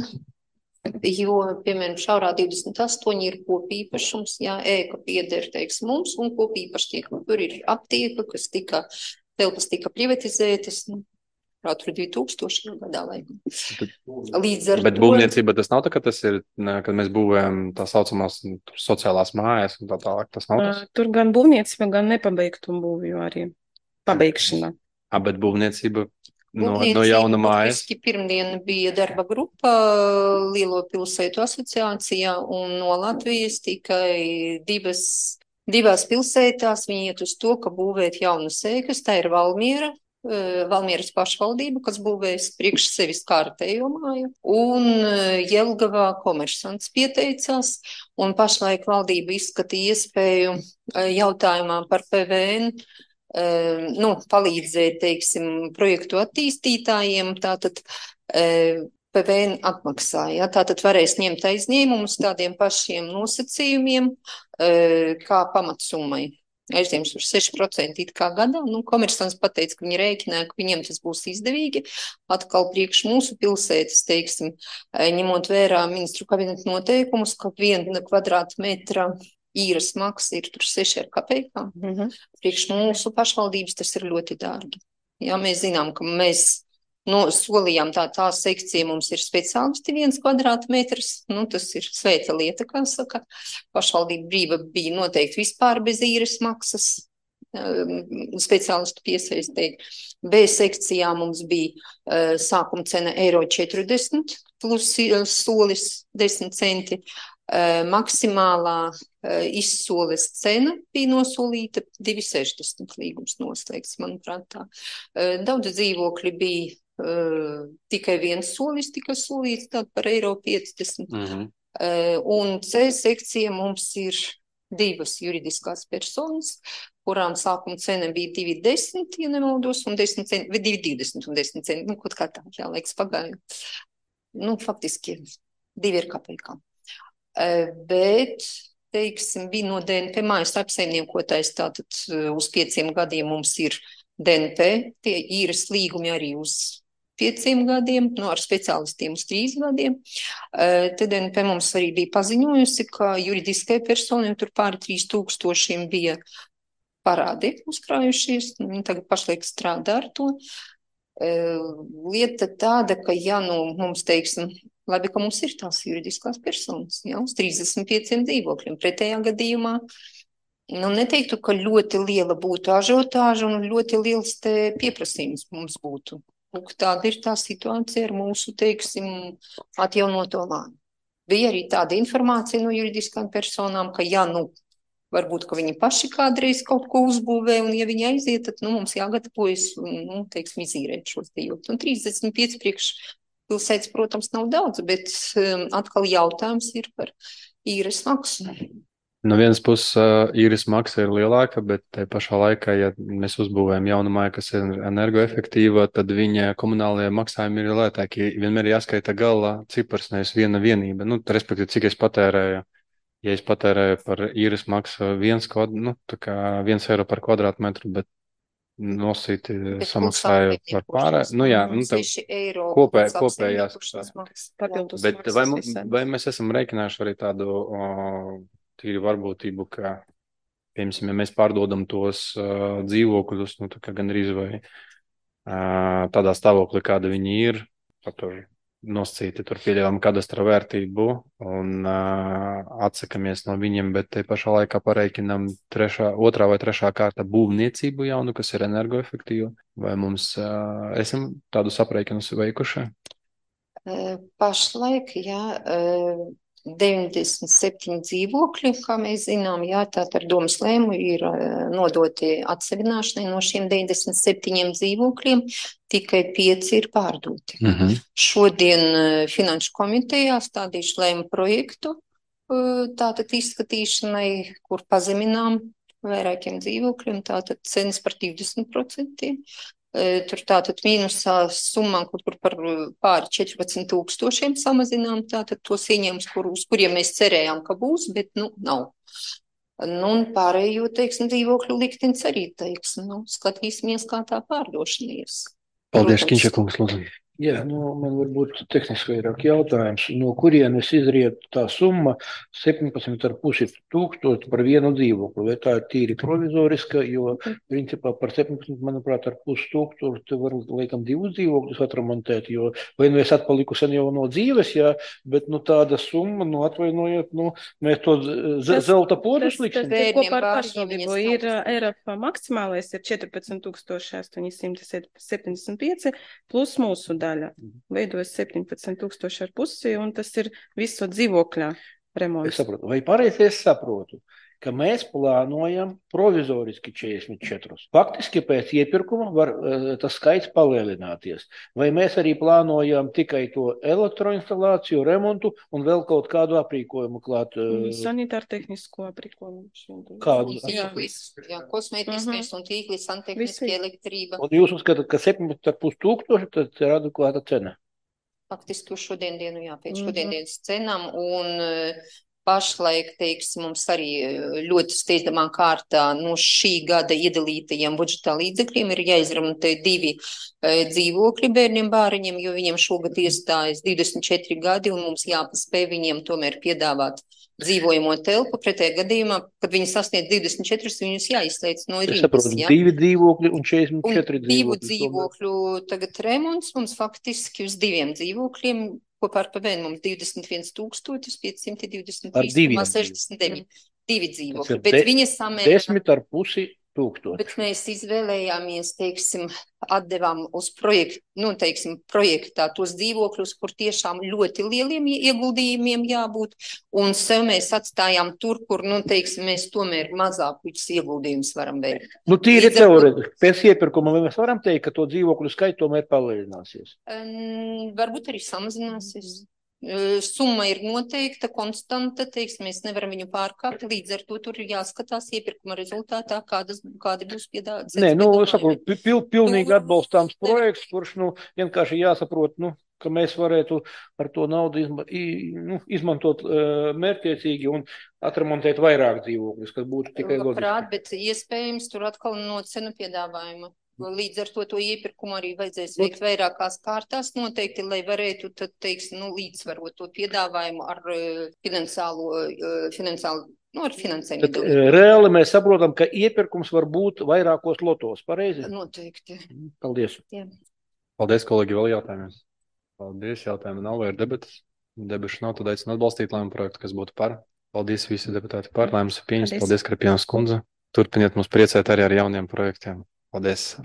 Jo, piemēram, šaurā 28 ir kopīpašums, ēka pieder, mums, un kopīpašniekam. Tur ir aptieka, telpas tika privatizētas, tur 2000 gadā laikam. Bet būvniecība tas nav tā, ka tas ir, kad mēs būvējam tā saucamās sociālās mājas un tā tālāk, tas nav tas? Tur gan būvniecība, gan nepabeigtu būvju arī pabeigšana. Bet būvniecība no jauna mājas. Pirmdien bija darba grupa Lielo pilsētu asociācijā, un no Latvijas tikai divās pilsētās viņi iet uz to, ka būvēt jaunas ēkas. Tā ir Valmiera, Valmieras pašvaldība, kas būvēs priekš sevis kārtējo māju, un Jelgavā Komersants pieteicās, un pašlaik valdība izskatīja iespēju jautājumā par PVN, palīdzēt, teiksim, projektu attīstītājiem, tātad PVN atmaksāja, tātad varēs ņemt aizņēmumus tādiem pašiem nosacījumiem, kā pamatsummai. Aizņems uz 6% it kā gadā, Komersants pateica, ka viņi rēķināja, ka viņiem tas būs izdevīgi, atkal priekš mūsu pilsētas, teiksim, ņemot vērā ministru kabineta noteikumus, ka 1 kvadrātmetra īres maksa ir tur 6 ar kapekām. Priekš mūsu pašvaldības tas ir ļoti dārgi. Jā, mēs zinām, ka mēs solījām tā sekcija mums ir speciālisti 1 kvadrātmetrs, tas ir svēta lieta, kā saka. Pašvaldība brīva bija noteikti vispār bez īres maksas, speciālistu piesaistīt. B sekcijā mums bija sākuma cena €40 plus solis 10 centi. Maksimālā izsoles cena bija nosolīta 2,60 līgums noslēgts, manuprāt tā. Daudz dzīvokļi bija tikai 1 solis tika solīts, tād par €50. Un C sekcija mums ir 2 juridiskās personas, kurām sākuma cena bija 2,10, ja nemaldos, un 10 centi, vai 2,20 un 10 centi, kaut kā tā, jā, laiks pagāja. Faktiski 2 ir kapekām. Bet, teiksim, bija no DNP mājas apsaimniekotājs, tātad uz 5 gadiem mums ir DNP, tie īres līgumi arī uz 5 gadiem, ar speciālistiem uz 3 gadiem. Te DNP mums arī bija paziņojusi, ka juridiskai personai tur pāri 3,000 bija parādi uzkrājušies, viņi tagad pašlaik strādā ar to. Lieta tāda, ka mums, teiksim, labi, ka mums ir tās juridiskās personas, uz 35 dzīvokļiem. Pretējā gadījumā, neteiktu, ka ļoti liela būtu ažiotāža un ļoti liels pieprasījums mums būtu. Tāda ir tā situācija ar mūsu, teiksim, atjaunoto māju. Bija arī tāda informācija no juridiskām personām, ka varbūt, ka viņi paši kādreiz kaut ko uzbūvē, un ja viņi aiziet, tad mums jāgatavojas, teiksim, izīrēt šos dzīvokļus. Un 35 priekš pilsētas, protams, nav daudz, bet atkal jautājums ir par īres maksu. No vienas puses īres maksa ir lielāka, bet te pašā laikā, ja mēs uzbūvējam jaunu māju, kas ir energoefektīva, tad viņa komunālajie maksājumi ir lētāki. Vienmēr jāskaita galā cipars, nevis viena vienība. Respektīvi, cik es patērēju. Ja es patērēju par īres maksu 1 eiro par kvadrātmetru, bet nosīti samaksāju par pārēju. 6 eiro. Kopējās. Bet vai mēs esam rēķinājuši arī tādu tīri varbūtību, ka, piemēram, ja mēs pārdodam tos dzīvokļus, gandrīz vai tādā stāvoklī, kāda viņi ir, tur nosacīti, tur pieļaujam kadastra vērtību un atsakamies no viņiem, bet te pašā laikā pareikinam 2. vai 3. kārta būvniecību jaunu, kas ir energoefektīva. Vai mums esam tādu aprēķinus veikuši? Pašlaik, 97 dzīvokļi, kā mēs zinām, tātad ar domas lēmu ir nodoti atsevināšanai no šiem 97 dzīvokļiem, tikai 5 ir pārdoti. Šodien Finanšu komitejā stādīšu lēmu projektu tātad izskatīšanai, kur pazeminām vairākiem dzīvokļiem, tātad cenas par 20%. Tur tātad mīnusā summā, kur par pāri 14,000 samazinām, tātad tos ieņēmumus, uz kuriem mēs cerējām, ka būs, bet, nav. Un pārējo, teiksim, dzīvokļu liktenis arī, teiksim, skatīsimies, kā tā pārdošana ies. Paldies, Kiņša kungs, lūdzu. Jā, man varbūt tehniski vairāk jautājums. No kurienes izriet tā summa 17,5 tūkstoši par vienu dzīvokli? Vai tā ir tīri provizoriska, jo principā par 17, manuprāt, ar pus tūkstoši te var, laikam, divus dzīvokļus atremontēt, jo vai es atpaliku sen jau no dzīves, jā, bet, tāda summa, atvainojiet, mēs to zelta podus liksim. Tas kopā ar pašvaldību ir ERAF maksimālais ir 14,875 plus mūsu daļa. Veidojas 17,500, un tas ir visu dzīvokļā remonts. Es saprotu. Vai pareizi es saprotu, ka mēs plānojam provizoriski 44. Faktiski pēc iepirkuma var tas skaits palielināties. Vai mēs arī plānojam tikai to elektroinstalāciju, remontu un vēl kaut kādu aprīkojumu klāt? Sanitārtehnisko aprīkojumu. Kādu? Jā, kosmētiskais un tīkli, santehniski, elektrība. Un jūs uzskatāt, ka 17,5 tūkstoši tad ir adekvāta cena? Faktiski uz šodien dienu, jā, pēc šodienas cenām, un pašlaik, teiksim, mums arī ļoti steidzamā kārtā no šī gada iedalītajiem budžetā līdzekļiem ir jāizremontē 2 dzīvokļi bērniem bāriņiem, jo viņiem šogad iestājas 24 gadi, un mums jāpaspēj viņiem tomēr piedāvāt dzīvojamo telpu. Pretējā gadījumā, kad viņi sasniedz 24, viņus jāizslēdz no rindas. Es saprotu, 2 dzīvokļi un 44 dzīvokļi. 2 dzīvokļu tagad remonts mums faktiski uz 2 dzīvokļiem kopā ar PVN mums 21,523,69. 2 dzīvokļi, bet viņi samērā 10,5 tūkstoši. Bet mēs izvēlējāmies, teiksim, atdevām uz projektu, projektā tos dzīvokļus, kur tiešām ļoti lieliem ieguldījumiem jābūt, un sev mēs atstājām tur, kur, mēs tomēr mazākus ieguldījumus varam veikt. Tīri teorētiski, pēc iepirkuma mēs varam teikt, ka to dzīvokļu skaits tomēr palielināsies? Varbūt arī samazināsies. Summa ir noteikta, konstanta, mēs nevaram viņu pārkāpt, līdz ar to tur ir jāskatās iepirkuma rezultātā, kādi būs piedāvāti. Nē, es saprotu, pilnīgi atbalstāms projekts, kurš, vienkārši jāsaprot, ka mēs varētu ar to naudu izmantot mērķiecīgi un atremontēt vairāk dzīvokļus, kas būtu tikai loģiski. Labprāt, bet iespējams tur atkal no cenu piedāvājuma. Līdz ar to iepirkumu arī vajadzēs veikt vairākās kārtās noteikti, lai varētu tad, līdzsvarot to piedāvājumu ar finansējumu. Reāli mēs saprotam, ka iepirkums var būt vairākos lotos, pareizi? Noteikti. Paldies. Jā. Paldies, kolēģi, vēl jautājumiem. Paldies, jautājumi nav, vai ir debatas? Debašu nav, tad aicinu atbalstīt lēmumu projektu, kas būtu par. Paldies visi deputāti par, lēmums ir pieņemts. Paldies, Krapienas kundze. Turpiniet mums priecēt arī ar jauniem projektiem. Paldies.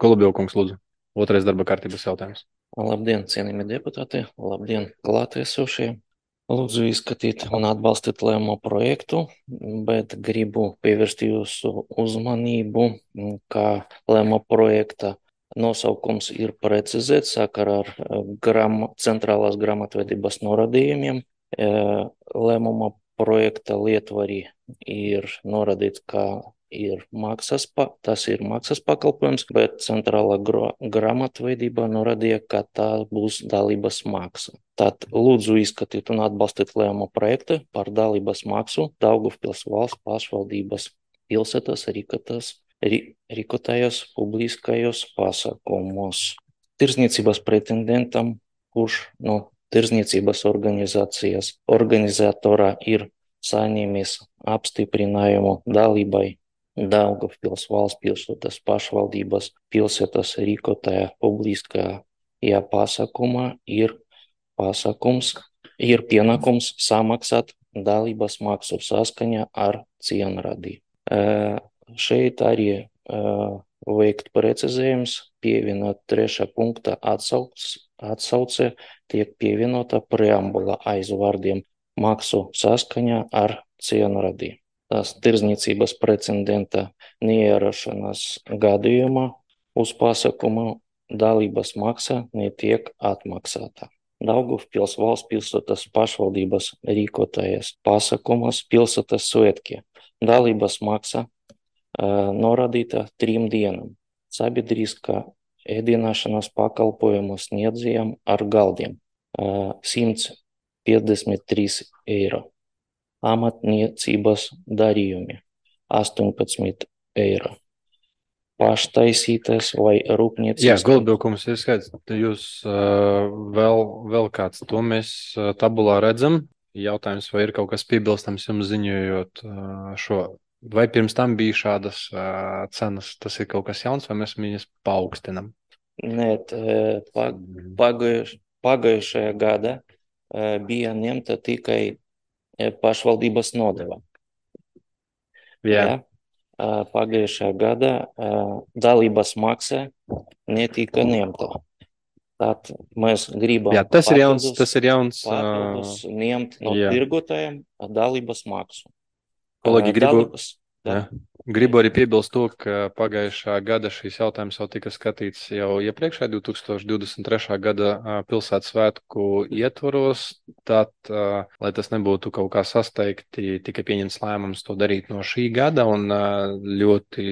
Kolubilkungs, lūdzu. Otrais darba kārtības jautājums. Labdien, cienījamie deputāti. Labdien, klātiesošie. Lūdzu izskatīt un atbalstīt lēmumu projektu, bet gribu pievērst jūsu uzmanību, ka lēmumu projekta nosaukums ir precizēts sakarā ar centrālās grāmatvedības norādījumiem. Lēmuma projekta lietvari ir norādīts, ka tas ir maksas pakalpojums, bet centrālā grāmatvedība norādīja, ka tā būs dalības maksa. Tad lūdzu izskatīt un atbalstīt lēmumu projektu par dalības maksu Daugavpils valsts pašvaldības pilsētas rīkotajos publiskajos pasākumos. Tirdzniecības pretendentam, kurš no tirdzniecības organizatora ir saņēmis apstiprinājumu dalībai Daugavpils valsts pilsētas pašvaldības pilsētas rīkotajā publiskajā pasākumā ir pienākums samaksāt dalības maksu saskaņā ar cienradi. Šeit arī veikt precizējums, pievienot 3. punkta atsauce tiek pievienota preambula aiz vārdiem maksu saskaņā ar cienradi. Tas tirdzniecības precedenta neierašanās gadījumā uz pasākumu dalības maksa netiek atmaksāta. Daugavpils valsts pilsētas pašvaldības rīkotājas pasākumus pilsētas svētki. Dalības maksa norādīta 3 dienām. Sabiedriskā ēdināšanas pakalpojumu sniedzējiem ar galdiem 153 eiro. Amatniecības darījumi 18 eiro. paštaisītas vai rūpniecības. Jā, gulbjokums ir skaidrs. Jūs vēl kāds, to mēs tabulā redzam. Jautājums, vai ir kaut kas piebilstams jums ziņojot šo? Vai pirms tam bija šādas cenas? Tas ir kaut kas jauns, vai mēs viņas paaugstinam? Nē, pagājušajā gada bija ņemta tikai pašvaldības nodeva. Jā. Pagājušajā gada dalības maksa netika ņemta. Tad mēs gribam tas ir jauns papildus ņemt no tirgotājiem dalības maksu. Kolēģi, gribu arī piebilst to, ka pagājušā gada šīs jautājums jau tika skatīts jau iepriekšējā 2023. gada pilsētas svētku ietvaros. Tad, lai tas nebūtu kaut kā sasteigti, tika pieņemts lēmums to darīt no šī gada, un ļoti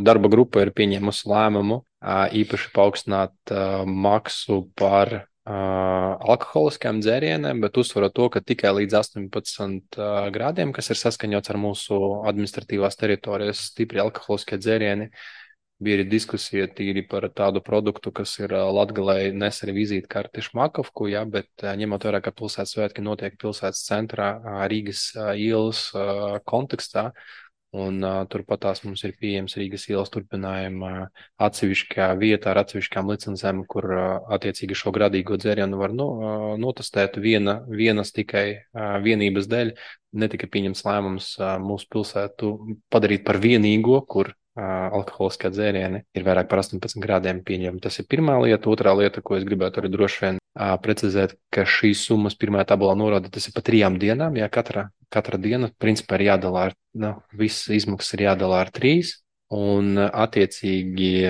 darba grupa ir pieņēmusi lēmumu īpaši paaugstināt maksu par alkoholiskajām dzērieniem, bet uzsverot to, ka tikai līdz 18 grādiem, kas ir saskaņots ar mūsu administratīvās teritorijas stipri alkoholiskie dzērieni, bija arī diskusija tīri par tādu produktu, kas ir Latgalei nes arī vizītkarti šmakovku, bet ņemot vērā, ka pilsētas svētki notiek pilsētas centrā Rīgas ielas kontekstā, un turpat tās mums ir pieejams Rīgas ielas turpinājuma atsevišķā vietā ar atsevišķām licencēm, kur attiecīgi šo gradīgo dzērienu var notestēt vienas tikai vienības dēļ. Netika pieņemts lēmums mūsu pilsētu padarīt par vienīgo, kur alkoholiskā dzērieni ir vairāk par 18 grādiem pieņemti. Tas ir pirmā lieta. Otrā lieta, ko es gribētu arī droši vien precizēt, ka šīs summas pirmajā tabulā norāda, tas ir pa 3 dienām. Jā, katra diena principā ir jādalā visas izmaksas ir jādalā ar 3, un attiecīgi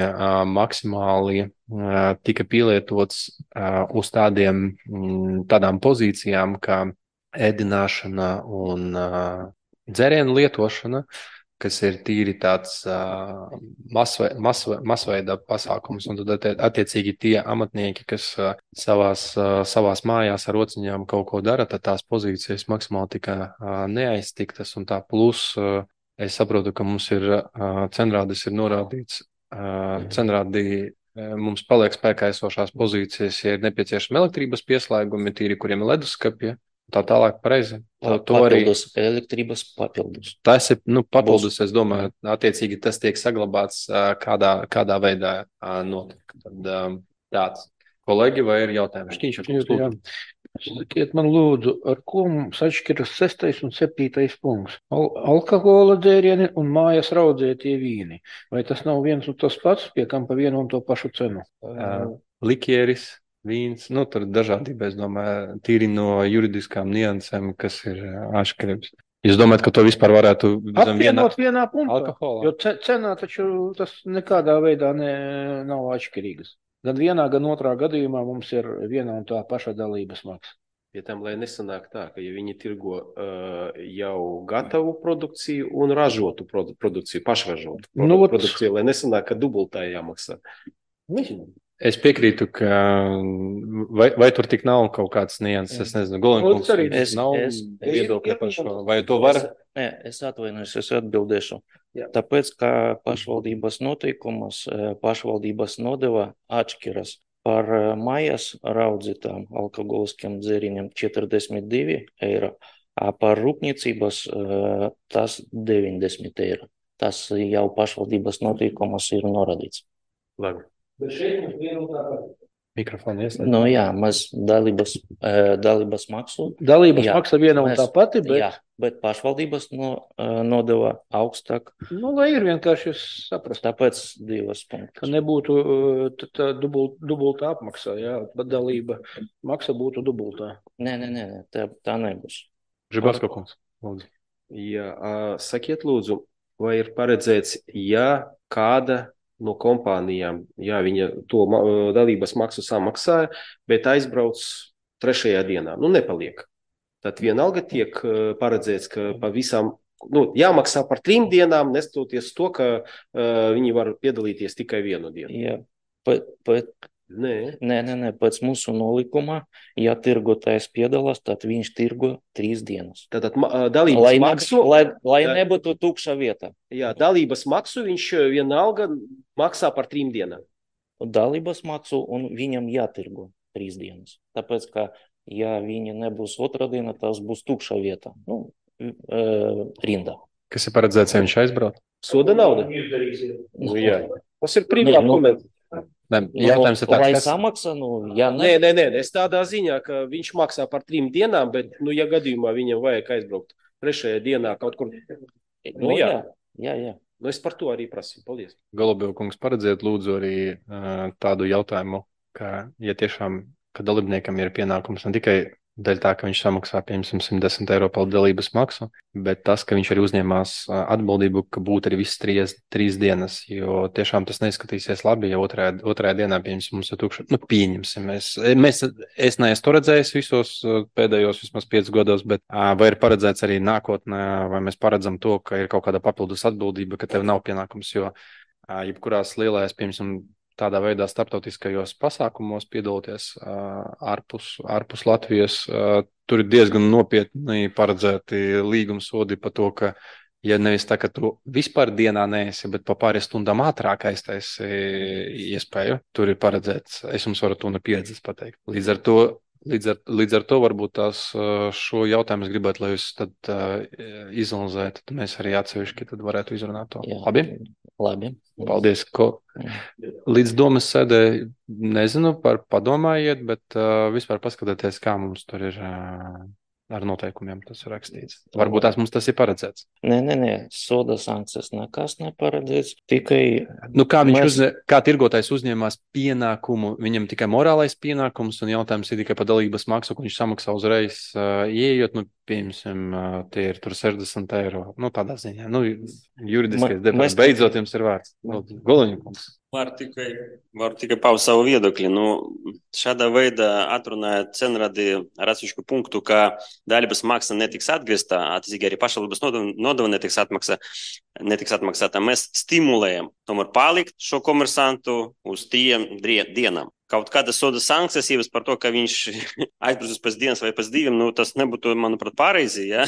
maksimāli tika pielietots uz tādām pozīcijām, kā ēdināšana un dzērienu lietošana, kas ir tīri tāds masveida pasākums, un tad attiecīgi tie amatnieki, kas savās mājās ar rociņām kaut ko dara, tad tās pozīcijas maksimāli tika neaiztiktas, un tā plus es saprotu, ka mums ir cenrādis ir norādīts, cenrādī mums paliek spēkā esošās pozīcijas, ja ir nepieciešami elektrības pieslēgumi, tīri, kuriem ir leduskapja. Tā tālāk pareizi. Papildus elektrības papildus. Tas ir, papildus, es domāju, attiecīgi tas tiek saglabāts kādā veidā notiek. Tad tāds. Kolēģi, vai ir jautājumi? Šķīņš. Sakiet man lūdzu, ar ko mums atšķiras 6. un 7. punkts? Alkohola dzērieni un mājas raudzētie vīni. Vai tas nav viens un tas pats, pie kam pa vienu un to pašu cenu? Likieris. Vīns, tur dažādība, es domāju, tīri no juridiskām niansēm, kas ir atšķirības. Jūs domājat, ka to vispār varētu apvienot vienā punktā? Alkoholā? Jo cenā taču tas nekādā veidā nav atšķirīgas. Gan vienā, gan otrā gadījumā mums ir viena un tā paša dalības maksa. Pie tam, lai nesanāk tā, ka ja viņi tirgo jau gatavu produkciju un ražotu produkciju, pašražotu produkciju, lai nesanāk, ka dubultā jāmaksā. Es piekrītu, ka vai tur tik nav kaut kāds nianses, es nezinu, Golenkungs nav viedokļa par šo, vai to var? Es atvainojos, es atbildēšu. Tāpēc, ka pašvaldības noteikumus, pašvaldības nodeva atšķiras par mājas raudzītām alkoholiskiem dzērieniem 42 eiro, a par rūpniecības tas 90 eiro. Tas jau pašvaldības noteikumus ir norādīts. Labi. Bet šeit mums viena un tā pati. Mikrofonu ieslēgt. Jā, mēs dalības maksu. Dalības maksa viena un tā pati, bet... Jā, bet pašvaldības nodeva augstāk. Lai ir vienkārši saprast. Tāpēc 2 punktus. Ka nebūtu dubultā apmaksā, bet dalība maksa būtu dubultā. Nē, tā nebūs. Žibasko kungs, lūdzu. Jā, sakiet lūdzu, vai ir paredzēts, ja kāda no kompānijām, viņa to dalības maksu samaksāja, bet aizbrauc 3. dienā, nepaliek. Tad vienalga tiek paredzēts, ka pavisam, jāmaksā par 3 dienām, nestoties to, ka viņi var piedalīties tikai 1 dienu. Jā, bet Nē, pēc mūsu nolikuma, ja tirgotājs piedalās, tad viņš tirgo 3 dienas. Tātad dalības maksu... Lai nebūtu tukša vieta. Jā, dalības maksu viņš vienalga maksā par 3 dienām. Dalības maksu un viņam jātirgo 3 dienas. Tāpēc, ka ja viņa nebūs otrā diena, tas būs tukša vieta. Rinda. Kas ir paredzēts, ja viņš aizbrauc? Soda nauda? Jā. Tas ir privāti komentāri. Jautājums ir tāds, lai samaksā, ja Nē, es tādā ziņā, ka viņš maksā par 3 dienām, bet, ja gadījumā viņam vajag aizbraukt 3. dienā kaut kur. Jā. Es par to arī prasīju. Paldies. Golubiev kungs, paredziet lūdzu arī tādu jautājumu, ka, ja tiešām, ka dalībniekam ir pienākums ne tikai dēļ tā, ka viņš samaksā, piemēram, 110 eiro par dalības maksu, bet tas, ka viņš arī uzņēmās atbildību, ka būtu arī visas 3 dienas, jo tiešām tas neizskatīsies labi, ja otrajā dienā, piemēram, mums ir tukša. Pieņemsim. Es neesmu to redzējis visos pēdējos vismaz 5 gados, bet vai ir paredzēts arī nākotnē, vai mēs paredzam to, ka ir kaut kāda papildus atbildība, ka tev nav pienākums, jo jebkurās lielajās, piemēram, tādā veidā starptautiskajos pasākumos piedaloties ārpus Latvijas, tur ir diezgan nopietni paredzēti līgumsodi par to, ka, ja nevis tā, ka tu vispār dienā neesi, bet pa pāris stundām ātrāk aiztaisi iespēju, tur ir paredzēts, es jums varu to no pieredzes pateikt. Līdz ar to varbūt šo jautājumu es gribētu, lai jūs tad izanalizētu, tad mēs arī atsevišķi tad varētu izrunāt to. Jā. Labi? Paldies. Līdz domas sēdē nezinu, padomājiet, bet vispār paskatieties, kā mums tur ir ar noteikumiem tas ir rakstīts. Varbūt mums tas ir paredzēts. Nē, soda sankcijas nekas neparedzēts, tikai... Kā tirgotājs uzņēmās pienākumu, viņam tikai morālais pienākums un jautājums ir tikai par dalības maksu, ko viņš samaksā uzreiz ieejot, piemēram, tie ir tur 60 eiro. Tādā ziņā. Juridiskais debats. Beidzot jums ir vārds. Goliņkungs. Varu tikai paust savu viedokli. Šādā veidā atrunāja cenradi ar atsevišķu punktu, ka dalības maksa netiks atgrieztā, attiecīgi arī pašvaldības nodeva netiks atmaksāta. Mēs stimulējam tomēr palikt šo komersantu uz 3 dienām. Kaut kādas soda sankcijas ievies par to, ka viņš aizbraucis pēc dienas vai pēc 2, tas nebūtu, manuprāt, pareizi, ja?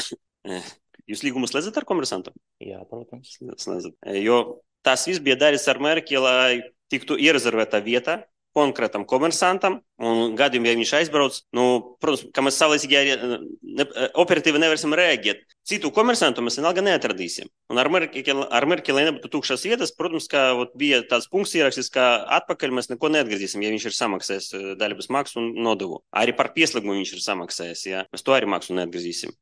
Jūs līgumu slēdzat ar komersantu? Jā, protams. Slēdzat. Jo tas viss bija darīts ar mērķi, lai tiktu ierezervēta vieta konkrētam komersantam, un gadījumā, ja viņš aizbrauc, protams, ka mēs savlaicīgi operatīvi nevarēsim reaģēt. Citu komersantu mēs vienalga neatradīsim. Un ar mērķi, lai nebūtu tukšas vietas, protams, ka bija tāds punkts ierakstīts, ka atpakaļ mēs neko neatgriezīsim, ja viņš ir samaksājis dalības maksu un nodevu. Arī par pieslēgumu viņš ir samaksājis, ja? Mēs to arī maksu neatgriezīsim.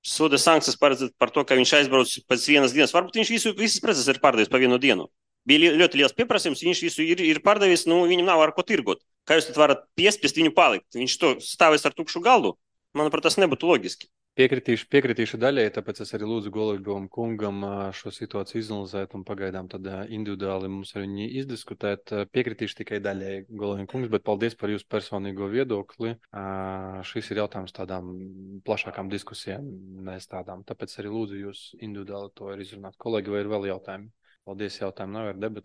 Soda sankcijas paredzēt par to, ka viņš aizbrauc pēc 1 dienas. Varbūt viņš visas preces ir pārdevis pa 1 dienu. Bija ļoti liels pieprasījums, viņš visu ir pārdevis, viņam nav ar ko tirgot. Kā jūs tad varat piespiest viņu palikt? Viņš to stāvēs ar tukšu galdu? Manuprāt, tas nebūtu loģiski. Piekritīšu daļai, tāpēc es arī lūdzu Golubievam kungam šo situāciju izanalizēt un pagaidām tad individuāli mums ar viņu izdiskutēt. Piekritīšu tikai daļai Golubievam kungs, bet paldies par jūsu personīgo viedokli. Šis ir jautājums tādām plašākām diskusijām, nevis tādām. Tāpēc arī lūdzu jūs individuāli to ir izrunāt. Kolēģi, vai ir vēl jautājumi? Paldies, jautājumu nav, ir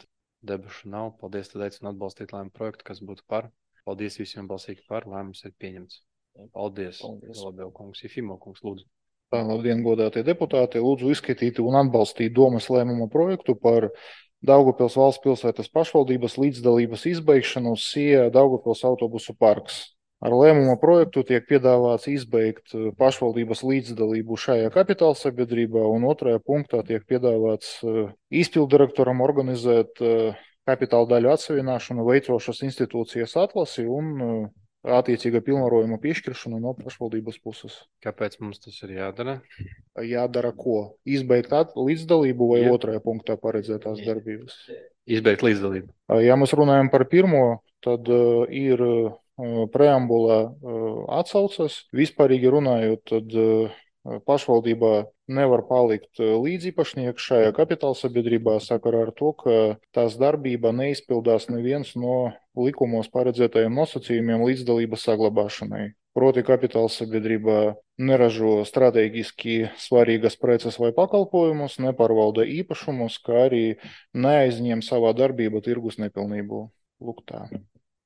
debašu nav. Paldies, tad aicinu atbalstīt lēmumu projektu, kas būtu par. Paldies visiem balsīgi par, lēmums ir pieņemts. Paldies. Golubiev kungs, Jefimo kungs, lūdzu. Labdien, godātie deputāti. Lūdzu izskatīt un atbalstīt domas lēmuma projektu par Daugavpils valsts pilsētas pašvaldības līdzdalības izbeigšanu uz SIE Daugavpils autobusu parks. Ar lēmuma projektu tiek piedāvāts izbeigt pašvaldības līdzdalību šajā kapitāla sabiedrībā, un otrajā punktā tiek piedāvāts izpildirektoram organizēt kapitāla daļu atsavināšanu veicošas institūcijas atlasi un attiecīga pilnvarojuma piešķiršanu no pašvaldības puses. Kāpēc mums tas ir jādara? Jādara ko? Izbeigt līdzdalību vai otrajā punktā paredzētās darbības? Izbeigt līdzdalību. Ja mēs runājam par pirmo, tad ir preambulā atsaucas. Vispārīgi runājot, tad pašvaldībā nevar palikt līdziepašnieks šajā kapitāla sabiedrībā sakarā ar to, ka tās darbība neizpildās neviens no likumos paredzētajiem nosacījumiem līdzdalības saglabāšanai. Proti kapitāla sabiedrībā neražo strateģiski svarīgas preces vai pakalpojumus, nepārvalda īpašumus, kā arī neaizņem savā darbībā tirgus nepilnību. Lūk tā.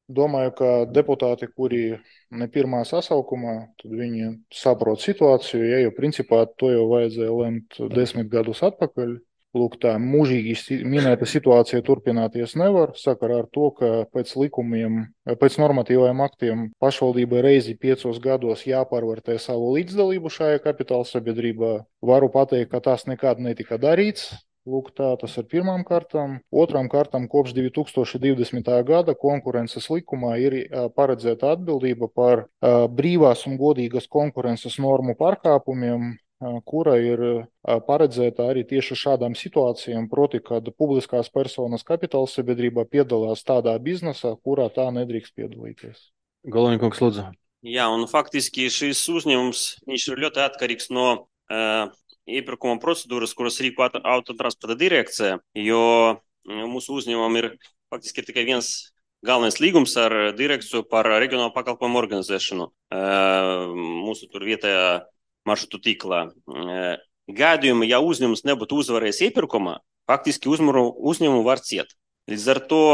Domāju, ka deputāti, kuri ne pirmā sasaukumā, tad viņi saprot situāciju, ja, jo principā to jau vajadzēja lemt 10 gadus atpakaļ. Lūk, tā mūžīgi minēta situācija turpināties nevar, sakarā ar to, ka pēc likumiem, pēc normatīvajiem aktiem pašvaldībai reizi 5 gados jāpārvērtē savu līdzdalību šajā kapitāla sabiedrībā. Varu pateikt, ka tas nekad netika darīts. Lūk, tā tas ir pirmām kārtām. Otrām kārtām kopš 2020. gada konkurences likumā ir paredzēta atbildība par brīvās un godīgas konkurences normu pārkāpumiem, kura ir paredzēta arī tieši šādām situācijām, proti, kad publiskās personas kapitāla sabiedrībā piedalās tādā biznesā, kurā tā nedrīkst piedalīties. Goloņkungs, lūdzu. Jā, un faktiski šis uzņēmums, viņš ir ļoti atkarīgs no iepirkuma procedūras, kuras rīko autotransporta direkcija, jo mūsu uzņēmumam ir faktiski ir tikai viens galvenais līgums ar direkciju par reģionālu pakalpojumu organizēšanu mūsu tur vietējā maršrutu tīklā. Gadījumā, ja uzņēmums nebūtu uzvarējis iepirkumā, faktiski uzņēmumu var ciet. Līdz ar to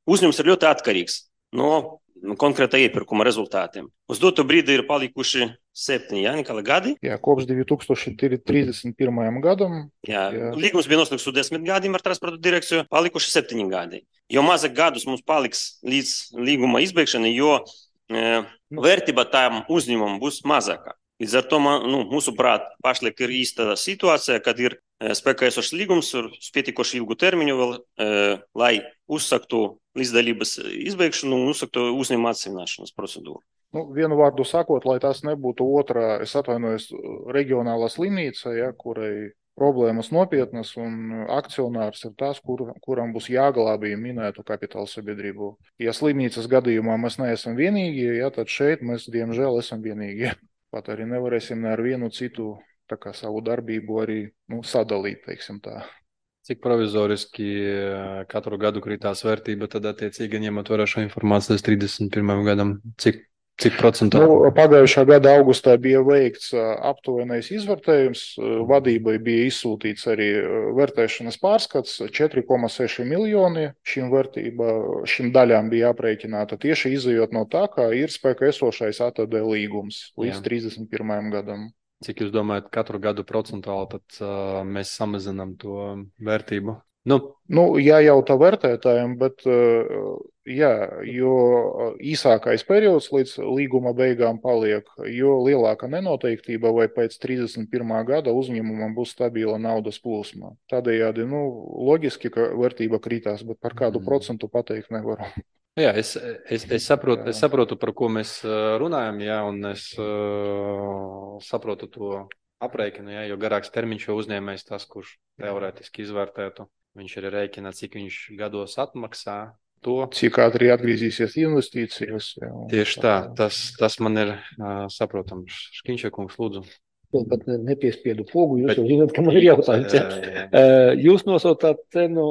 uzņēmums ir ļoti atkarīgs no konkrētā iepirkuma rezultātiem. Uz dotu brīdi ir palikuši 7, Nikala, gadi. Jā, kopš 2031. gadam. Jā. Līgums bija noslēgts uz 10 gadiem ar transporta direkciju, palikuši 7 gadi. Jo mazāk gadus mums paliks līdz līguma izbeigšanai, jo vērtība tām uzņēmumam būs mazāka. Līdz ar to, mūsuprāt, pašlaik ir īsta situācija, kad ir spēkā esošs līgums ar pietiekoši ilgu termiņu vēl, lai uzsaktu līdzdalības izbeigšanu un uzsaktu uzņēmuma atsevināšanas procedūru. Vienu vārdu sakot, lai tas nebūtu otrā, es atvainojos, regionālā slimnīca, ja, kurai problēmas nopietnas un akcionārs ir tas, kuram būs jāglābj minētu kapitāla sabiedrību. Ja slimnīcas gadījumā mēs neesam vienīgie, ja, tad šeit mēs, diemžēl, esam vienīgie. Pat arī nevarēsim ar vienu citu tā kā savu darbību arī sadalīt, teiksim tā. Cik provizoriski katru gadu krītās vērtība, tad attiecīgi ņemot vērā šo informāciju līdz 31. gadam, cik procentuāli? Pagājušā gada augustā bija veikts aptuvenais izvērtējums, vadībai bija izsūtīts arī vērtēšanas pārskats, 4,6 miljoni šīm daļām bija aprēķināta tieši izejot no tā, kā ir spēkā esošais ATD līgums līdz 31. gadam. Cik jūs domājat, katru gadu procentuāli tad mēs samazinām to vērtību? Jājautā vērtētājiem, bet jā, jo īsākais periods līdz līguma beigām paliek, jo lielāka nenoteiktība vai pēc 31. gada uzņēmumam būs stabila naudas plūsma. Tādējādi, loģiski, ka vērtība krītās, bet par kādu procentu pateikt nevaru. Jā, es saprotu, par ko mēs runājam, jā, un es saprotu to aprēķinu, jā, jo garāks termiņš jau uzņēmējs tas, kurš teorētiski izvērtētu. Viņš arī rēķina, cik viņš gados atmaksā to. Cik ātri atgriezīsies investīcijas. Jā. Tieši tā, tas man ir saprotams. Škiņšekungs, lūdzu. Vēl pat nepiespiedu pogu, jūs jau zināt, ka man ir jautājums. Jūs nosaucāt cenu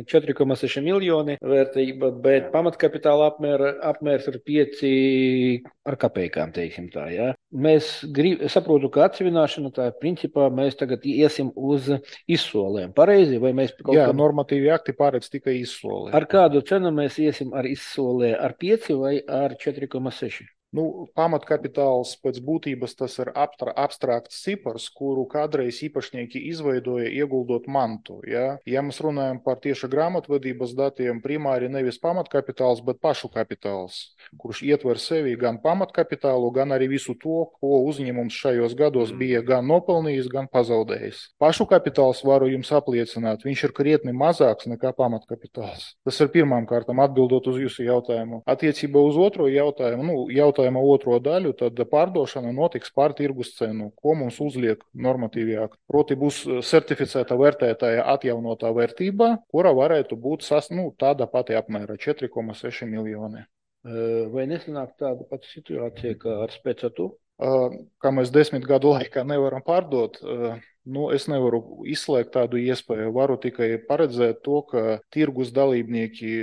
4,6 miljoni vērtība, bet pamatkapitāla apmērs ir 5 ar kapējām, teiksim tā. Ja? Saprotu, ka atsevināšana tā principā mēs tagad iesim uz izsolēm. Pareizi? Vai mēs Jā, normatīvi akti paredz tikai izsolē. Ar kādu cenu mēs iesim ar izsolē? Ar 5 vai ar 4,6? Pamatkapitāls pēc būtības tas ir abstrakts cipars, kuru kādreiz īpašnieki izveidoja ieguldot mantu. Ja mēs runājam par tieši grāmatvedības datiem, primāri nevis pamatkapitāls, bet pašu kapitāls, kurš ietver sevi gan pamatkapitālu, gan arī visu to, ko uzņēmums šajos gados bija gan nopelnījis, gan pazaudējis. Pašu kapitāls, varu jums apliecināt, viņš ir krietni mazāks nekā pamatkapitāls. Tas ir pirmām kārtām atbildot uz jūsu jautājumu. Attiecībā uz otro jautājumu, otro daļu, tad pārdošana notiks pār tirgus cenu, ko mums uzliek normatīvi akti. Proti būs certificēta vērtētāja atjaunotā vērtība, kura varētu būt tāda pati apmēra 4,6 miljoni. Vai nesanāk tāda pati situācija kā ar Specatu? Kā mēs 10 gadu laikā nevaram pārdot, es nevaru izslēgt tādu iespēju. Varu tikai paredzēt to, ka tirgus dalībnieki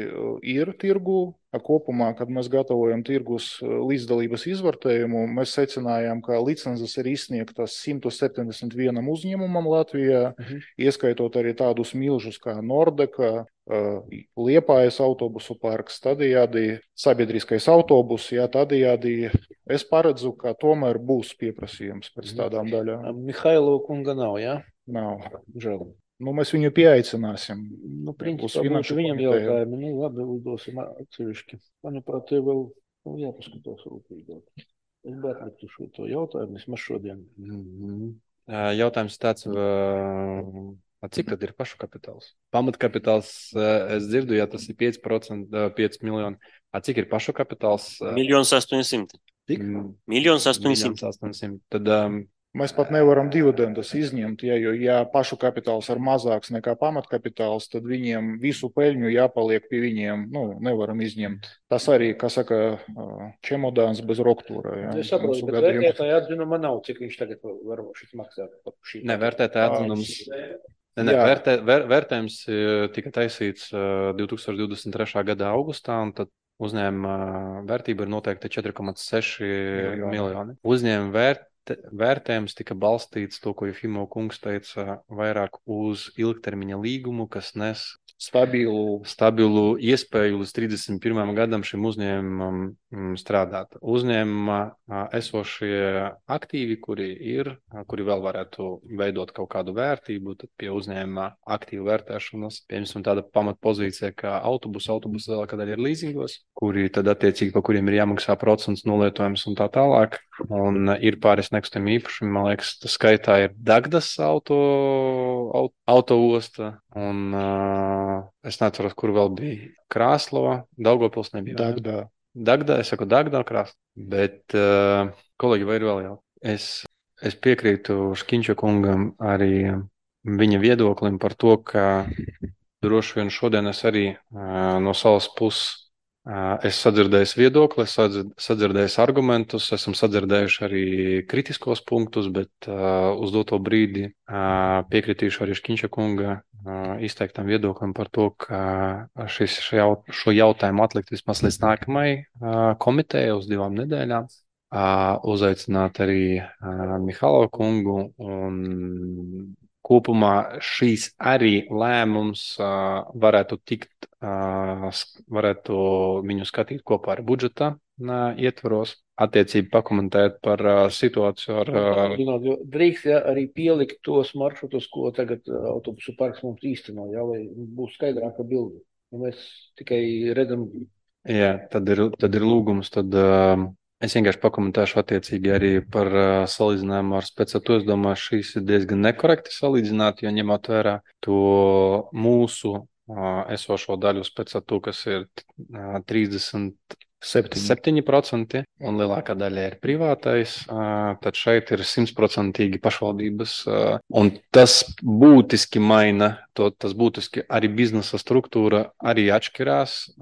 ir tirgu. Kopumā, kad mēs gatavojam tirgus līdzdalības izvērtējumu, mēs secinājām, ka licences ir izsniegtas 171 uzņēmumam Latvijā, ieskaitot arī tādus milžus kā Nordeka, Liepājas autobusu parks, tādējādi sabiedriskais autobus, jā, tādējādi es paredzu, ka tomēr būs pieprasījums pēc tādām daļām. Mihailo kunga nav, jā? Nav, žēl. Nu, mēs viņu pieaicināsim. Nu, principā būtu viņam jautājumi. Nu, labi, uzdosim atsevišķi. Manuprāt, tie vēl jāpaskatās rūpīgāk. Es bērnētu šo to jautājumu, vismaz šodien. Jautājums tāds, cik tad ir pašu kapitāls? Pamatkapitāls, es dzirdu, ja tas ir 5%, 5 miljoni. Cik ir pašu kapitāls? 1 800 000. Cik? 1 800 000. Tad mēs pat nevaram dividendus izņemt, ja pašu kapitāls ir mazāks nekā pamatkapitāls, tad viņiem visu peļņu jāpaliek pie viņiem, nevaram izņemt. Tas arī, kā saka, čemodāns bez roktūra. Jā. Es saprotu, bet vērtētāja atzinuma nav, cik viņš tagad var šis maksāt. Ne, vērtētāja atzinums. Vērtējums tika taisīts 2023. gada augustā, un tad uzņēmuma vērtība ir noteikti 4,6 miljoni. Uzņēmuma vērtējums tika balstīts to, ko Jefimo kungs teica, vairāk uz ilgtermiņa līgumu, kas nes stabilu iespēju līdz 31. gadam šim uzņēmumam strādāt. Uzņēmumā esošie aktīvi, kuri vēl varētu veidot kaut kādu vērtību, tad pie uzņēmuma aktīvu vērtēšanas, piemēram, tāda pamatpozīcija, kā autobusi vēl kad arī ir līzingos, kuri tad attiecīgi, pa kuriem ir jāmaksā procents nolietojums un tā tālāk. Un ir pāris nekustami īpašumi, man liekas, tas skaitā ir Dagdas autoosta, un es neceros, kur vēl bija Krāslava, Daugavpils nebija. Dagdā, es saku Dagdā, Krāslava, bet kolēģi, vai ir vēl jau? Es piekrītu Škiņša kungam arī viņa viedoklim par to, ka droši vien šodien es arī no savas puses es sadzirdēju viedokli, es sadzirdēju argumentus, esam sadzirdējuši arī kritiskos punktus, bet uz doto brīdi piekritīšu arī Škiņša kunga izteiktam viedoklim par to, ka šo jautājumu atlikt vismaz līdz nākamai komitejai uz 2 nedēļām. Uzaicināt arī Mihalo kungu, un kopumā šīs arī lēmums varētu viņu skatīt kopā ar budžeta ietvaros, attiecīgi pakomentēt par situāciju ar... Drīkst arī pielikt tos maršrutus, ko tagad autobusu parks mums īsteno, lai būs skaidrāka bilde. Mēs tikai redzam... Jā, tad ir lūgums, tad... Es vienkārši pakomentēšu attiecīgi arī par salīdzinājumu ar Specatu. Es domāju, šīs ir diezgan nekorekti salīdzināt, jo ņemot vērā to mūsu esošo daļu Specatu, kas ir 37%, un lielākā daļa ir privātais, tad šeit ir 100% pašvaldības, un tas būtiski maina, tas būtiski arī biznesa struktūra arī atšķirās.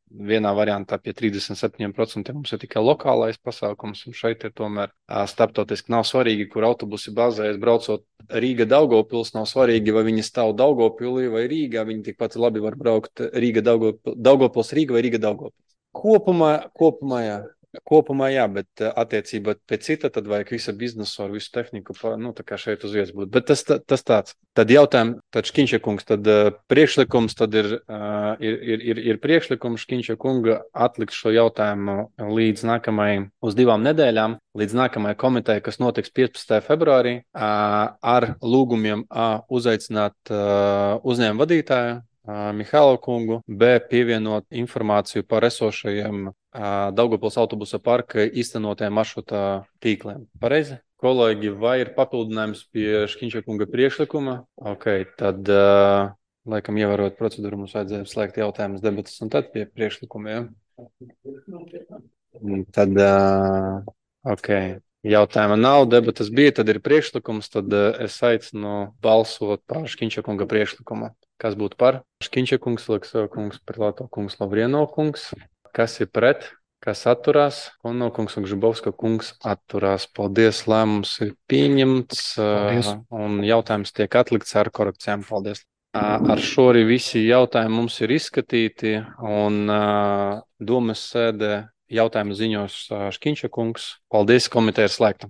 Vienā variantā pie 37% mums ir tikai lokālais pasākums, un šeit ir tomēr starptautiski nav svarīgi, kur autobusi bazējas, braucot Rīga-Daugavpils, nav svarīgi, vai viņi stāv Daugavpilī vai Rīgā, viņi tikpat labi var braukt Daugavpils Rīga vai Rīga-Daugavpils. Kopumā jā, bet attiecībā pēc cita, tad vajag visa biznesu ar visu tehniku, tā kā šeit uz vietas būt. Bet tas tāds. Tad jautājums, tad Škiņša kungs, tad priekšlikums, tad ir priekšlikums Škiņša kunga atlikt šo jautājumu līdz nākamajai, uz 2 nedēļām, līdz nākamajai komitejai, kas notiks 15. februārī, ar lūgumiem uzaicināt uzņēmumu vadītāju, Mihalo kungu, B pievienot informāciju par esošajiem Daugavpils autobusa parka īstenotajiem maršruta tīkliem. Pareizi? Kolēģi, vai ir papildinājums pie Škiņša kunga priekšlikuma? Ok, tad, laikam, ievērot procedūru, mums vajadzēja slēgt jautājumus, debatas un tad pie priekšlikumiem. Tad, ok, jautājuma nav, debatas bija, tad ir priekšlikums, tad es aicinu balsot par Škiņša kunga priekšlikumu. Kas būtu par? Škiņša kungs, Leksova kungs, Perlāto kungs, Lavrieno kungs. Kas ir pret? Kas atturās? Ono kungs un Žibovska kungs atturās. Paldies, lēmums ir pieņemts. Paldies. Un jautājums tiek atlikts ar korekcijām. Paldies. Ar šo arī visi jautājumi mums ir izskatīti, un domas sēdē jautājumu ziņos Škiņša kungs. Paldies, komiteja ir slēgta.